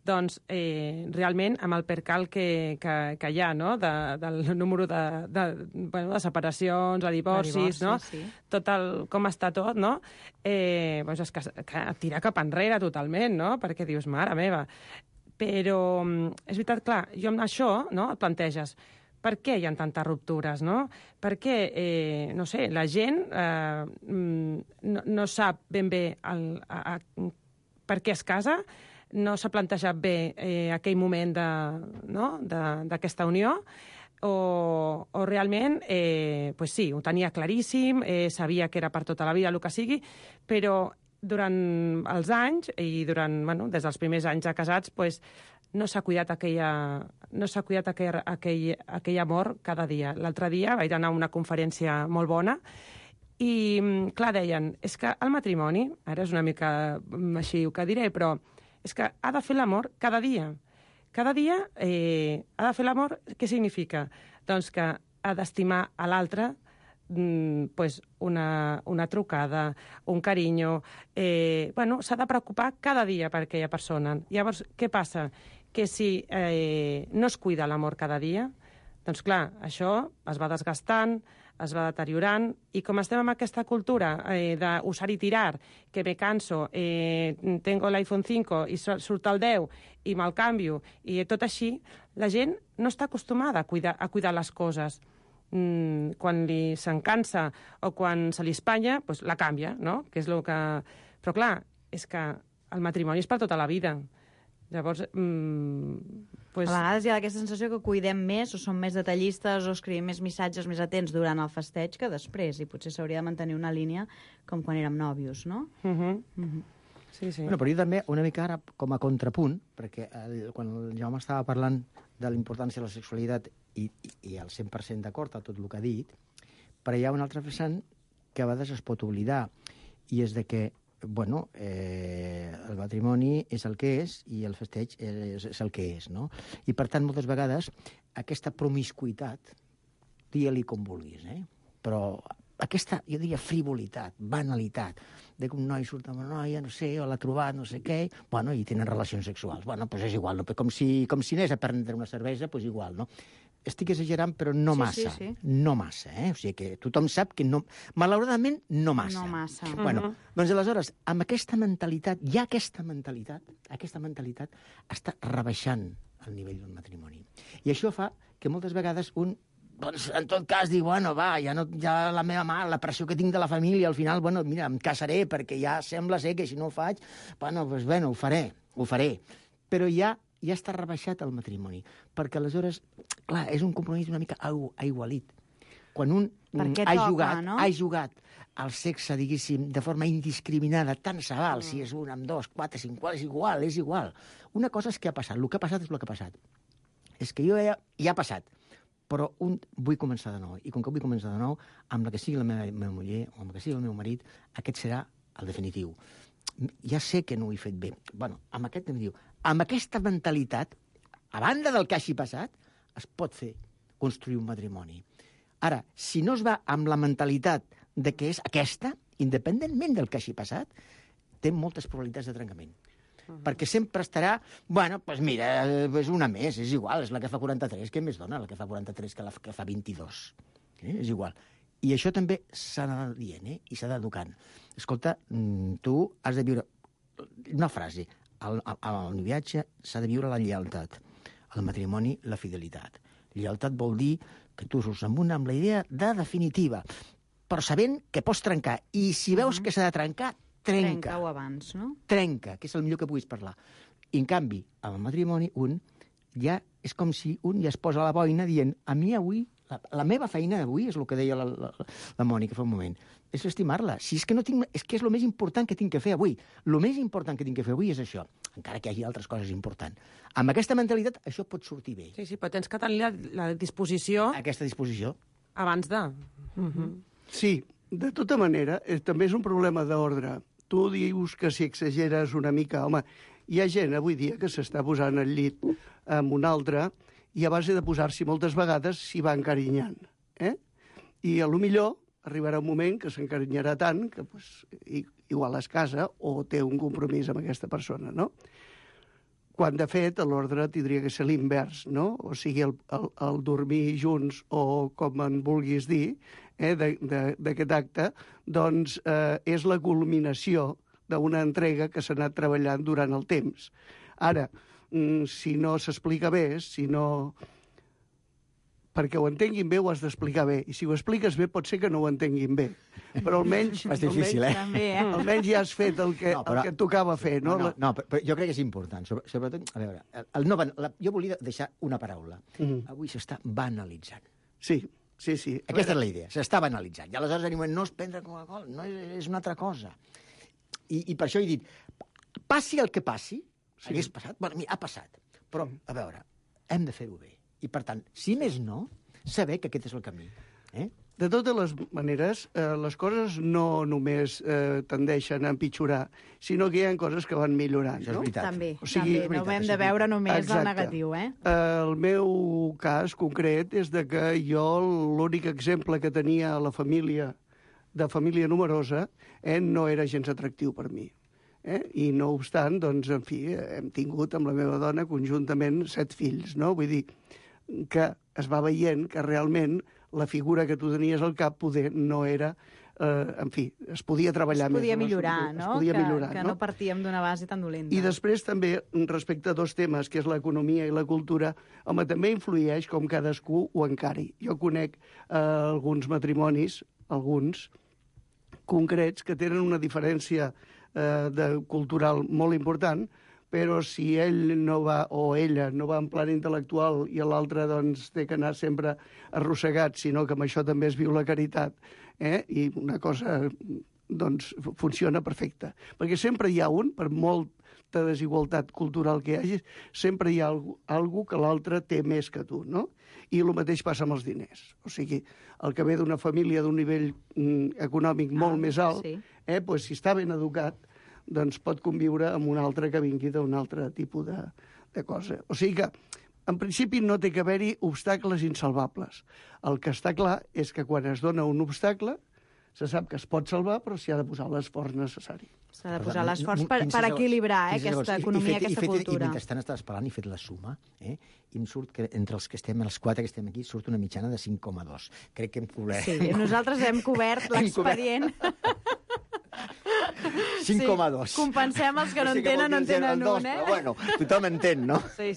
doncs realment amb el percal que hi ha, no?, del número de separacions, de divorcis, no?, sí. Tot com està tot, no?, doncs és que et tira cap enrere totalment, no?, perquè dius, mare meva. Però és veritat, clar, jo amb això, no?, et planteges, per què hi ha tantes ruptures, no? Per què, no sé, la gent no sap ben bé per què es casa, no s'ha plantejat bé aquell moment d'aquesta unió, o realment, pues sí, ho tenia claríssim, sabia que era per tota la vida el que sigui, però durant els anys, i des dels primers anys de casats, pues, no s'ha cuidat aquell amor cada dia. L'altre dia vaig anar a una conferència molt bona i, clar, deien, és que el matrimoni, ara és una mica així el que diré, però és que ha de fer l'amor cada dia. Cada dia ha de fer l'amor, què significa? Doncs que ha d'estimar a l'altre pues una trucada, un carinyo... s'ha de preocupar cada dia per aquella persona. Llavors, què passa? Que si no es cuida l'amor cada dia, doncs clar, això es va desgastant, es va deteriorant, i com estem en aquesta cultura d'usar i tirar, que me canso, tengo l'iPhone 5 i surt el 10 i me'l canvio, i tot així, la gent no està acostumada a cuidar les coses. Quan se'n cansa o quan se li espanya, doncs la canvia, no? Que és el que... Però clar, és que el matrimoni és per tota la vida. Llavors, pues... A vegades hi ha aquesta sensació que cuidem més o som més detallistes o escrivim més missatges més atents durant el festeig que després, i potser s'hauria de mantenir una línia com quan érem nòvios, no? Sí, sí. Bueno, però jo també, una mica ara, com a contrapunt, perquè quan el Jaume estava parlant de la importància de la sexualitat i el 100% d'acord a tot el que ha dit, però hi ha un altre vessant que a vegades es pot oblidar, i és de que bueno, el matrimoni és el que és i el festeig és el que és, no? I, per tant, moltes vegades, aquesta promiscuitat, digue-li com vulguis, però aquesta, jo diria, frivolitat, banalitat, de que un noi surt amb una noia, no sé, o l'ha trobat, no sé què, bueno, i tenen relacions sexuals. Bueno, doncs és igual, no? Com si anés a prendre una cervesa, doncs igual, no? Estic exagerant, però no massa. Sí. No massa, O sigui que tothom sap que no... Malauradament, no massa. No massa. Bueno, doncs aleshores, amb aquesta mentalitat, ja aquesta mentalitat està rebaixant el nivell d'un matrimoni. I això fa que moltes vegades un, doncs, en tot cas, diu, bueno, va, ja la meva mare, la pressió que tinc de la família, al final, bueno, mira, em casaré, perquè ja sembla ser que si no ho faig, bueno, doncs, bueno, ho faré. Però ja està rebaixat el matrimoni, perquè aleshores, clar, és un compromís una mica aigualit. Quan un ha jugat al sexe, diguéssim, de forma indiscriminada, tant se val si és un, amb dos, 4, 5, és igual. Una cosa és què ha passat, el que ha passat és el que ha passat. És que jo ja ha passat, però vull començar de nou, i com que vull començar de nou, amb la que sigui la meva muller o amb la que sigui el meu marit, aquest serà el definitiu. Ja sé que no ho he fet bé. Bueno, amb aquesta mentalitat, a banda del que hagi passat, es pot construir un matrimoni. Ara, si no es va amb la mentalitat de que és aquesta, independentment del que hagi passat, té moltes probabilitats de trencament. perquè sempre estarà, bueno, doncs mira, és una més, és igual, és la que fa 43, què més dona la que fa 43 que la que fa 22? És igual. I això també s'ha d'anar dient, i s'ha d'educant. Escolta, tu has de viure... Una frase, al noviatge s'ha de viure la lleialtat, al matrimoni la fidelitat. Lleialtat vol dir que tu surts amb la idea de definitiva, però sabent que pots trencar. I si veus que s'ha de trencar, trenca. Trenca-ho abans, no? Trenca, que és el millor que puguis parlar. I, en canvi, amb el matrimoni, un ja és com si un ja es posa a la boina dient a mi avui, la meva feina d'avui, és el que deia la Mònica fa un moment, és estimar-la. Si és que no tinc, és que és el més important que tinc que fer avui. El més important que tinc que fer avui és això, encara que hi hagi altres coses importants. Amb aquesta mentalitat, això pot sortir bé. Sí, però tens que tenir la disposició... Aquesta disposició. Abans de... Sí, de tota manera, també és un problema d'ordre. Tu dius que si exageres una mica... Home, hi ha gent avui dia que s'està posant al llit amb un altre i a base de posar-s'hi moltes vegades s'hi va encarinyant. I a lo millor arribarà un moment que s'encarinyarà tant que igual es casa o té un compromís amb aquesta persona, no? Quan, de fet, l'ordre tindria que ser l'invers, no? O sigui, el dormir junts o com en vulguis dir, d'aquest acte, doncs és la culminació d'una entrega que s'ha anat treballant durant el temps. Ara, si no s'explica bé, si no... Perquè ho entenguin bé ho has d'explicar bé, i si ho expliques bé pot ser que no ho entenguin bé, però almenys... És difícil, almenys ja has fet el que et tocava fer, no? No, però jo crec que és important, sobretot, a veure, jo volia deixar una paraula. Avui s'està banalitzant. Sí. Aquesta és la idea, s'està banalitzant. I aleshores animem, no és prendre Coca-Cola, no és una altra cosa. I per això he dit, passi el que passi, hagués passat, bueno, mira, ha passat, però, a veure, hem de fer-ho bé. I, per tant, si més no, saber que aquest és el camí. De totes les maneres, les coses no només tendeixen a empitjorar, sinó que hi ha coses que van millorant. Això és veritat. També, no ho hem de veure només el negatiu, El meu cas concret és de que jo l'únic exemple que tenia a la família, de família numerosa, no era gens atractiu per mi. I no obstant, doncs, en fi, hem tingut amb la meva dona conjuntament 7 fills, no? Vull dir que es va veient que realment la figura que tu tenies al cap poder no era... en fi, es podia treballar més. Es podia millorar, no? Es podia millorar, que no partíem d'una base tan dolenta. I després també, respecte a 2 temes, que és l'economia i la cultura, home, també influeix com cadascú ho encari. Jo conec alguns matrimonis, alguns concrets, que tenen una diferència cultural molt important, però si ell no va, o ella, no va en plan intel·lectual i l'altre doncs, té que anar sempre arrossegat, sinó que amb això també es viu la caritat, i una cosa doncs, funciona perfecta. Perquè sempre hi ha un, per molta desigualtat cultural que hi hagi, sempre hi ha algú que l'altre té més que tu, no? I el mateix passa amb els diners. O sigui, el que ve d'una família d'un nivell econòmic molt més alt, doncs, si està ben educat, doncs pot conviure amb un altre que vingui d'un altre tipus de cosa. O sigui que, en principi, no té que haver-hi obstacles insalvables. El que està clar és que quan es dona un obstacle, se sap que es pot salvar, però s'hi ha de posar l'esforç necessari. S'ha de posar l'esforç per equilibrar aquesta economia, aquesta cultura. I mentrestant estaves parlant i fet la suma, i em surt que entre els 4 que estem aquí, surt una mitjana de 5,2. Crec que hem cobert... Sí, nosaltres hem cobert l'expedient... 5,2. Sí, compensem els que no entenen, no entenen un, Però bueno, tothom entén, no? Sí.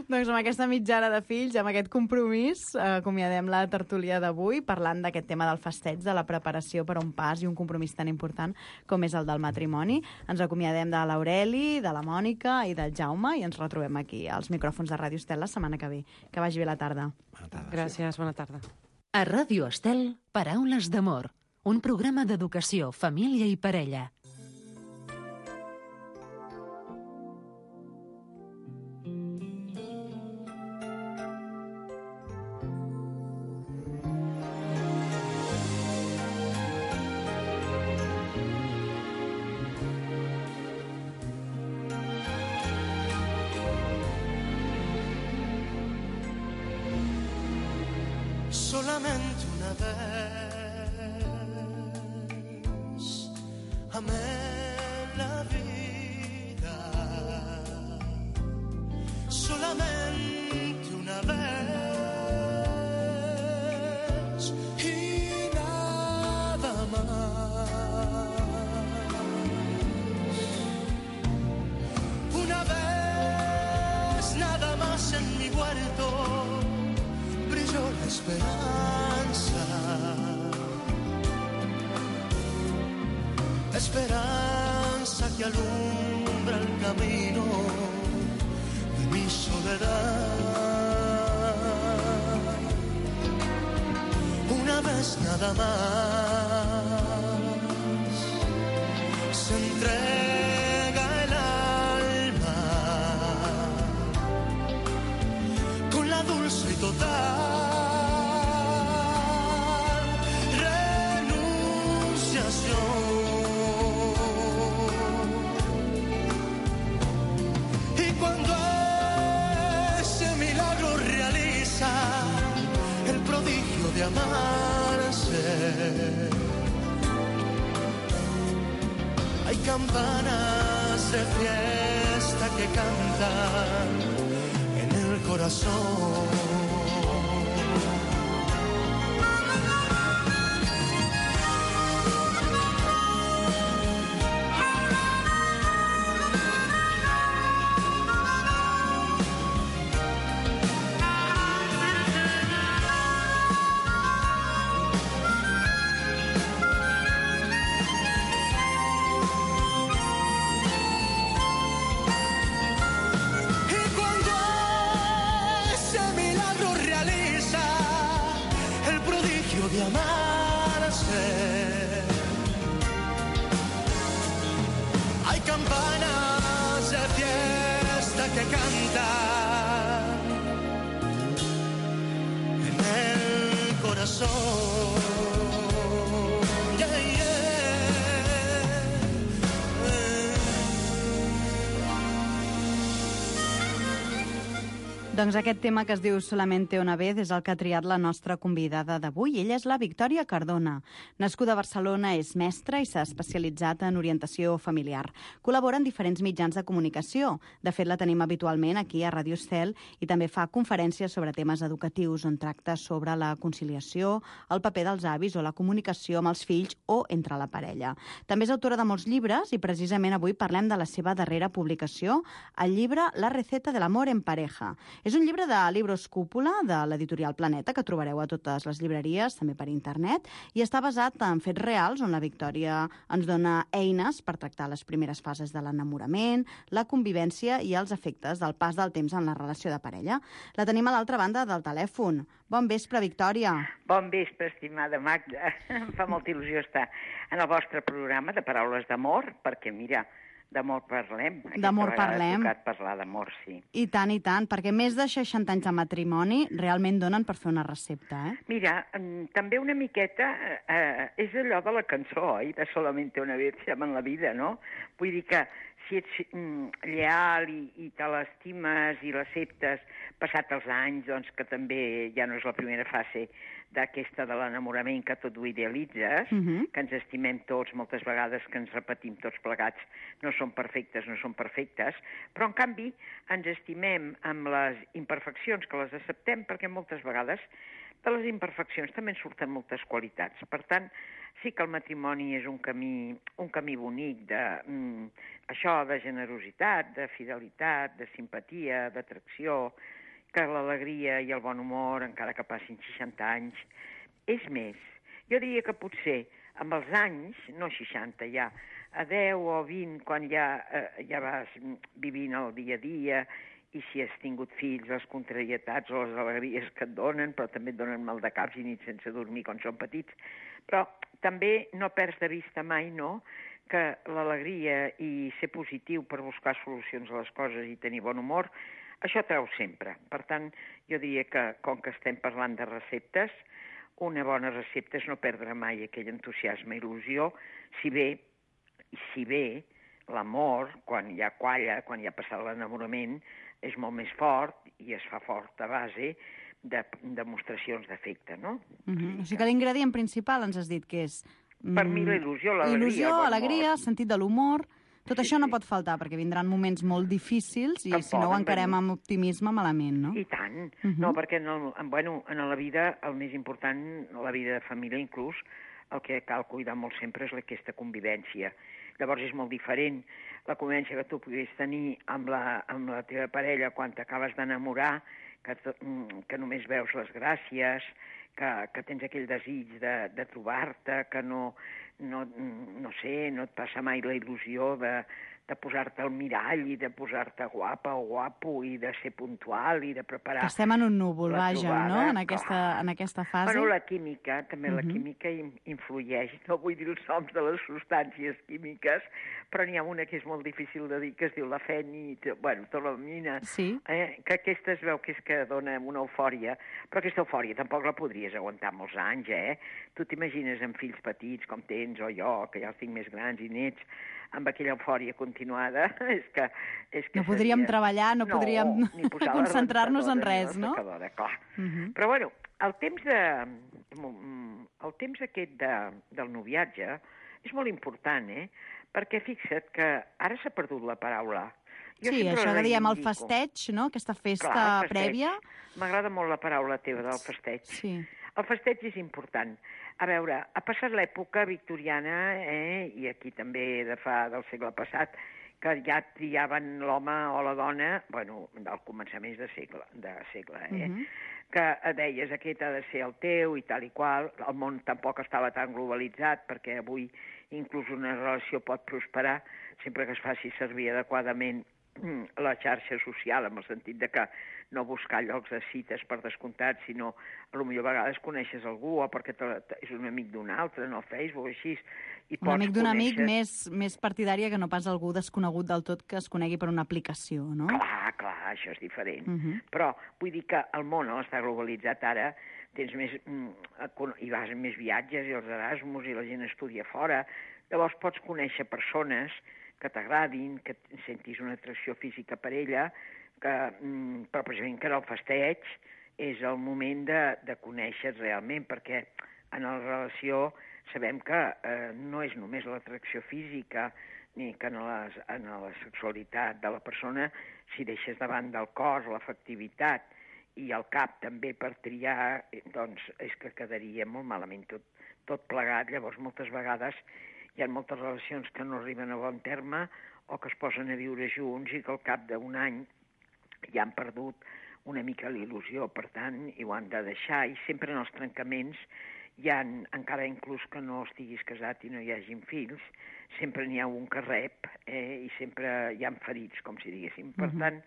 Doncs amb aquesta mitjana de fills, amb aquest compromís, acomiadem la tertúlia d'avui, parlant d'aquest tema del festeig, de la preparació per a un pas i un compromís tan important com és el del matrimoni. Ens acomiadem de l'Aureli, de la Mònica i del Jaume i ens retrobem aquí als micròfons de Ràdio Estel la setmana que ve. Que vagi bé la tarda. Gràcies, bona tarda. A Ràdio Estel, Paraules d'amor. Un programa d'educació, família i parella. Solamente una vez amé la vida esperanza, esperanza que alumbra el camino de mi soledad. Una vez nada más se entrega el alma con la dulce y total renunciación. Y cuando ese milagro realiza el prodigio de amarse, hay campanas de fiesta que cantan en el corazón. De amarse, hay campanas de fiesta que cantan en el corazón. Yeah, yeah. Doncs aquest tema que es diu Solamente una vez és el que ha triat la nostra convidada d'avui. Ella és la Victòria Cardona. Nascuda a Barcelona, és mestra i s'ha especialitzat en orientació familiar. Col·labora en diferents mitjans de comunicació. De fet, la tenim habitualment aquí a Ràdio Estel i també fa conferències sobre temes educatius on tracta sobre la conciliació, el paper dels avis o la comunicació amb els fills o entre la parella. També és autora de molts llibres i precisament avui parlem de la seva darrera publicació, el llibre La receta del amor en pareja. És un llibre de Libros Cúpula, de l'editorial Planeta, que trobareu a totes les llibreries, també per internet, i està basat en fets reals, on la Victòria ens dona eines per tractar les primeres fases de l'enamorament, la convivència i els efectes del pas del temps en la relació de parella. La tenim a l'altra banda del telèfon. Bon vespre, Victòria. Bon vespre, estimada Magda. Em fa molta il·lusió estar en el vostre programa de Paraules d'Amor, perquè, mira, d'amor parlem. D'amor parlem. Ha tocat parlar d'amor, sí. I tant, perquè més de 60 anys de matrimoni realment donen per fer una recepta, eh? Mira, també una miqueta és allò de la cançó, oi? De Solamente una vez se ama en la vida, no? Vull dir que si ets lleal i te l'estimes i l'acceptes passat els anys, doncs que també ja no és la primera fase d'aquesta de l'enamorament que tot ho idealitzes, que ens estimem tots, moltes vegades que ens repetim tots plegats, no són perfectes, però en canvi ens estimem amb les imperfeccions, que les acceptem, perquè moltes vegades de les imperfeccions també en surten moltes qualitats. Per tant, sí que el matrimoni és un camí bonic això de generositat, de fidelitat, de simpatia, d'atracció, que l'alegria i el bon humor, encara que passin 60 anys, és més. Jo diria que potser amb els anys, no 60 ja, a 10 o 20, quan ja vas vivint el dia a dia, i si has tingut fills, les contrarietats o les alegries que et donen, però també et donen mal de caps i nits sense dormir quan són petits. Però també no perds de vista mai, no?, que l'alegria i ser positiu per buscar solucions a les coses i tenir bon humor, això treu sempre. Per tant, jo diria que, com que estem parlant de receptes, una bona recepta és no perdre mai aquell entusiasme i il·lusió, si bé l'amor, quan ja qualla, quan ja ha passat l'enamorament, és molt més fort i es fa fort a base de demostracions d'afecte, no? O sigui que l'ingredient principal ens has dit que és... Per mi la il·lusió, l'alegria. Il·lusió, alegria, sentit de l'humor... Tot això no pot faltar, perquè vindran moments molt difícils i si no ho encarem amb optimisme, malament, no? I tant. No, perquè en la vida, el més important, la vida de família inclús, el que cal cuidar molt sempre és aquesta convivència. Llavors és molt diferent la convivència que tu puguis tenir amb la teva parella quan t'acabes d'enamorar que només veus les gràcies, que tens aquell desig de trobar-te, que no sé, no et passa mai la il·lusió de posar-te al mirall i de posar-te guapa o guapo i de ser puntual i de preparar... Que estem en un núvol, la vaja, trobada, no?, en aquesta fase. Bueno, la química, també la química influeix. No vull dir els noms de les substàncies químiques, però n'hi ha una que és molt difícil de dir, que es diu la tolamina, que aquesta es veu que és que dona una eufòria, però aquesta eufòria tampoc la podries aguantar molts anys, Tu t'imagines amb fills petits, com tens, o jo, que ja els tinc més grans i nets, amb aquella eufòria continuada, és que no podríem treballar, no podríem concentrar-nos en res, no? Clar. Però, bueno, el temps aquest del noviatge és molt important, perquè fixa't que ara s'ha perdut la paraula. Sí, això que diem el festeig, no?, aquesta festa prèvia. M'agrada molt la paraula teva del festeig. Sí. El festeig és important. A veure, ha passat l'època victoriana, i aquí també del segle passat, que ja triaven l'home o la dona, bueno, al començament de segle, que deies aquest ha de ser el teu i tal i qual. El món tampoc estava tan globalitzat, perquè avui inclús una relació pot prosperar sempre que es faci servir adequadament la xarxa social, en el sentit de que no buscar llocs de cites per descomptat, sinó potser a vegades coneixes algú o perquè és un amic d'un altre, no, Facebook, així. Un amic d'un amic més partidària que no pas algú desconegut del tot que es conegui per una aplicació, no? Clar, això és diferent. Però vull dir que el món està globalitzat ara, tens més... hi vas en més viatges i els Erasmus i la gent estudia fora. Llavors pots conèixer persones que t'agradin, que sentis una atracció física per ella, però precisament que en el festeig és el moment de conèixer realment, perquè en la relació sabem que no és només l'atracció física ni que en la sexualitat de la persona, si deixes davant del cos, l'afectivitat i el cap també per triar, doncs és que quedaria molt malament tot plegat. Llavors moltes vegades hi ha moltes relacions que no arriben a bon terme o que es posen a viure junts i que al cap d'un any ja han perdut una mica l'il·lusió, per tant, i ho han de deixar. I sempre en els trencaments hi ha, encara inclús que no estiguis casat i no hi hagin fills, sempre n'hi ha un que rep i sempre hi ha ferits, com si diguéssim. Per tant...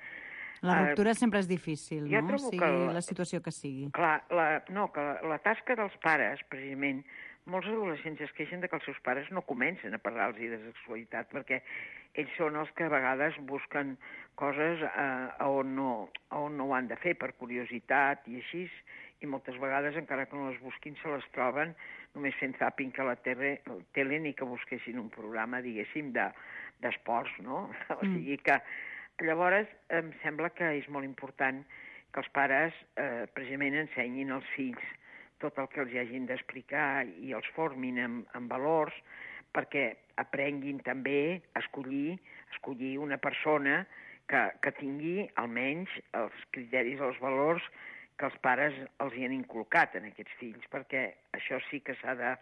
La ruptura sempre és difícil, no? Sigui la situació que sigui. Clar, que la tasca dels pares, precisament, molts adolescents es queixen que els seus pares no comencen a parlar-los de sexualitat, perquè ells són els que a vegades busquen coses on no ho han de fer, per curiositat i així, i moltes vegades, encara que no les busquin, se les troben només fent zapping a la tele ni que busquessin un programa, diguéssim, d'esports, no? O sigui que llavors em sembla que és molt important que els pares precisament ensenyin als fills tot el que els hagin d'explicar i els formin en valors, perquè aprenguin també a escollir una persona que tingui almenys els criteris, els valors que els pares els hi han inculcat en aquests fills, perquè això sí que s'ha de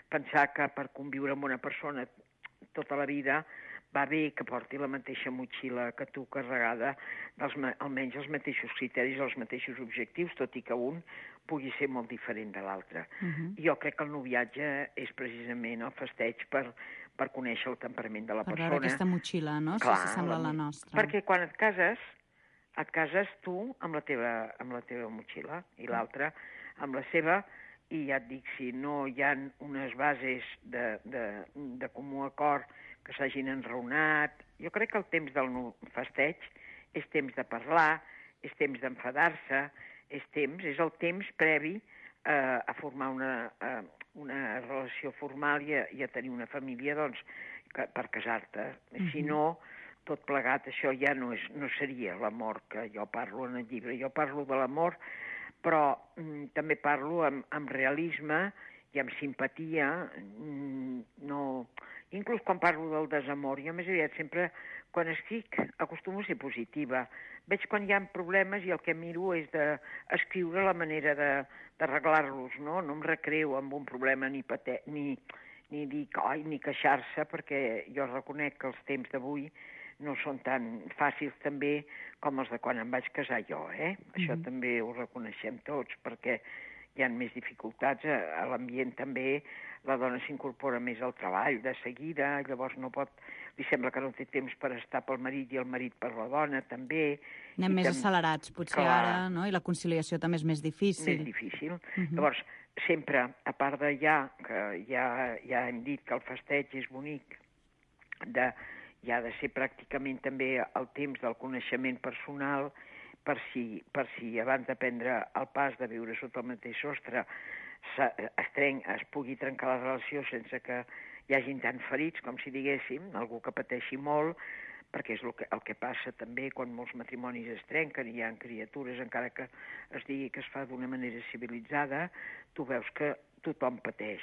pensar que per conviure amb una persona tota la vida va bé que porti la mateixa motxilla que tu, carregada almenys els mateixos criteris, els mateixos objectius, tot i que un pugui ser molt diferent de l'altre. Jo crec que el noviatge és precisament el festeig per conèixer el temperament de la persona. Per veure aquesta motxilla, no? Si s'assembla a la nostra. Perquè quan et cases tu amb la teva motxilla i l'altre amb la seva, i ja et dic, si no hi ha unes bases de comú acord que s'hagin enraonat, jo crec que el temps del festeig és temps de parlar, és temps d'enfadar-se, és el temps previ a formar una relació formal i a tenir una família, doncs, per casar-te. Si no, tot plegat, això ja no seria l'amor que jo parlo en el llibre. Jo parlo de l'amor, però també parlo amb realisme i amb simpatia, inclús quan parlo del desamor, jo més aviat sempre, quan escric, acostumo a ser positiva. Veig quan hi ha problemes i el que miro és d'escriure la manera d'arreglar-los, no? No em recreo amb un problema ni dir, ni queixar-se, perquè jo reconec que els temps d'avui no són tan fàcils també com els de quan em vaig casar jo, Això també ho reconeixem tots, perquè hi ha més dificultats a l'ambient també, la dona s'incorpora més al treball de seguida, llavors no pot, li sembla que no té temps per estar pel marit i el marit per la dona també. Anem més accelerats, potser ara, no? I la conciliació també és més difícil. Més difícil. Llavors, sempre, a part de que ja hem dit que el festeig és bonic, hi ha de ser pràcticament també el temps del coneixement personal, per si abans de prendre el pas de viure sota el mateix sostre es pugui trencar la relació sense que hi hagin tant ferits, com si diguéssim, algú que pateixi molt, perquè és el que passa també quan molts matrimonis es trenquen i hi ha criatures, encara que es digui que es fa d'una manera civilitzada, tu veus que tothom pateix,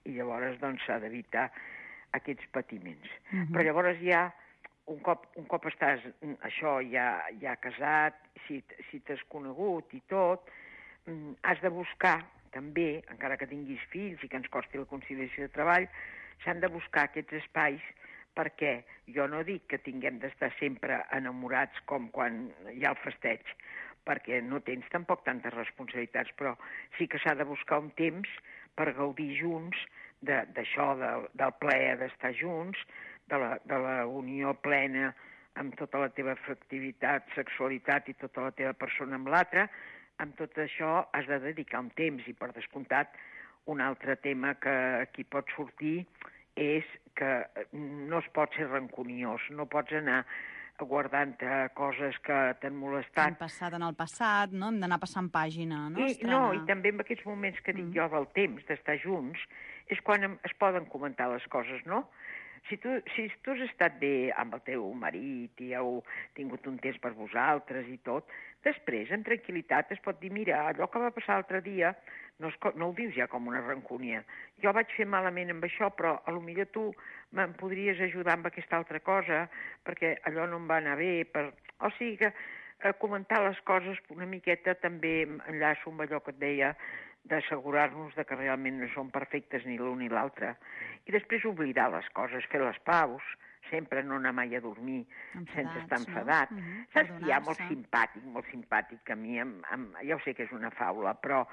i llavors doncs s'ha d'evitar aquests patiments. Però llavors ja, un cop estàs ja casat, si t'has conegut i tot, has de buscar també, encara que tinguis fills i que ens costi la conciliació de treball, s'han de buscar aquests espais, perquè jo no dic que tinguem d'estar sempre enamorats com quan hi ha el festeig, perquè no tens tampoc tantes responsabilitats, però sí que s'ha de buscar un temps per gaudir junts d'això, del plaer d'estar junts, de la unió plena amb tota la teva afectivitat, sexualitat i tota la teva persona amb l'altra. Amb tot això has de dedicar un temps, i per descomptat un altre tema que aquí pot sortir és que no es pot ser rancuniós, no pots anar guardant coses que t'han molestat. Han passat en el passat, no? Hem d'anar passant pàgina, no? I també en aquests moments que dic jo del temps d'estar junts, és quan es poden comentar les coses, no? Si tu has estat bé amb el teu marit i heu tingut un temps per vosaltres i tot, després, amb tranquil·litat, es pot dir, mira, allò que va passar l'altre dia no ho dius ja com una rancúnia. Jo vaig fer malament amb això, però potser tu me'n podries ajudar amb aquesta altra cosa, perquè allò no em va anar bé. O sigui que comentar les coses una miqueta també enllaço amb allò que et deia, d'assegurar-nos que realment no són perfectes ni l'un ni l'altre. I després oblidar les coses, fer les paus, sempre no anar mai a dormir sense estar enfadat. Saps que hi ha molt simpàtic, que a mi, ja ho sé que és una faula, però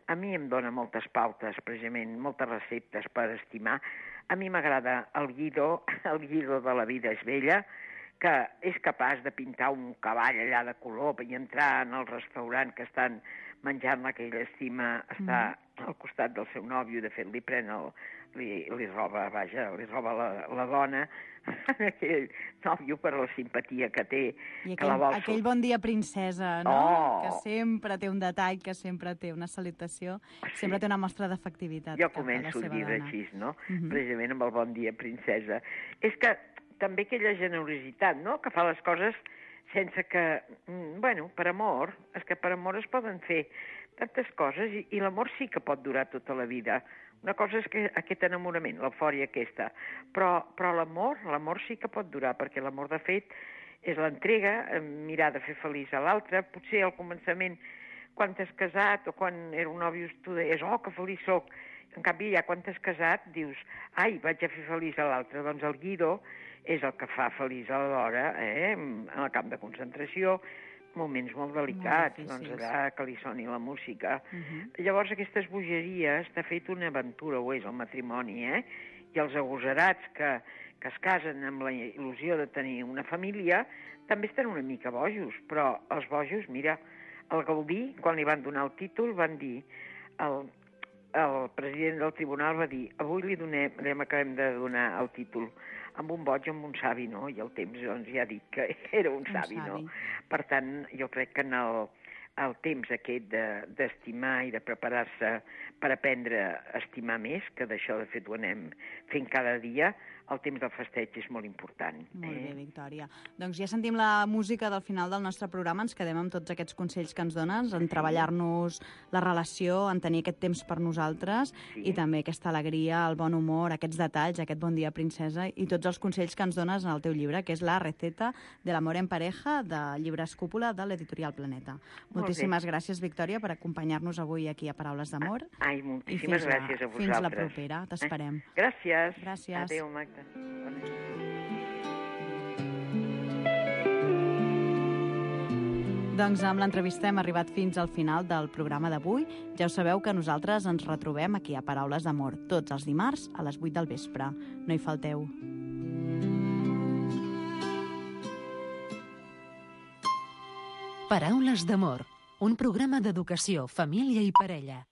a mi em dona moltes pautes, precisament, moltes receptes per estimar. A mi m'agrada el Guido de La vida és bella, que és capaç de pintar un cavall allà de color i entrar en el restaurant que estan menjant que ell estima, està al costat del seu nòvio, de fet li roba la dona, aquell nòvio per la simpatia que té. I aquell bon dia princesa, no? Que sempre té un detall, que sempre té una salutació, sempre té una mostra d'afectivitat. Jo començo el llibre així, no? Precisament amb el bon dia princesa. És que també aquella generositat, no?, que fa les coses sense que, per amor, és que per amor es poden fer tantes coses i l'amor sí que pot durar tota la vida. Una cosa és que aquest enamorament, l'eufòria aquesta, però l'amor sí que pot durar, perquè l'amor de fet és l'entrega, mirar de fer feliç a l'altre. Potser al començament, quan t'has casat o quan era un nòvio, tu deies, que feliç soc. En canvi, ja quan t'has casat, dius, ai, vaig a fer feliç a l'altre. Doncs el Guido és el que fa feliç a l'hora, en el camp de concentració, moments molt delicats, doncs allà que li soni la música. Llavors aquestes bogeries, de fet una aventura ho és el matrimoni, i els agosarats que es casen amb la il·lusió de tenir una família, també estan una mica bojos, però els bojos, mira, el Gaudí, quan li van donar el títol, van dir, el president del tribunal va dir, avui li acabem de donar el títol amb un boig, amb un savi, no? I el temps doncs, ja ha dit que era un savi, no? Per tant, jo crec que en el temps aquest d'estimar i de preparar-se per aprendre a estimar més, que d'això de fet ho anem fent cada dia, el temps del festeig és molt important. Molt bé, Victòria. Doncs ja sentim la música del final del nostre programa, ens quedem amb tots aquests consells que ens dones, en treballar-nos la relació, en tenir aquest temps per nosaltres i també aquesta alegria, el bon humor, aquests detalls, aquest bon dia, princesa, i tots els consells que ens dones en el teu llibre, que és La receta de l'amor en pareja, de Llibres Cúpula, de l'editorial Planeta. Moltíssimes gràcies, Victòria, per acompanyar-nos avui aquí a Paraules d'Amor. Ai, moltíssimes gràcies a vosaltres. Fins la propera, t'esperem. Gràcies. Gràcies. Adéu, Magda. Bona nit. Doncs amb l'entrevista hem arribat fins al final del programa d'avui. Ja ho sabeu que nosaltres ens retrobem aquí a Paraules d'Amor tots els dimarts a les 8 del vespre. No hi falteu. Paraules d'Amor, un programa d'educació, família i parella.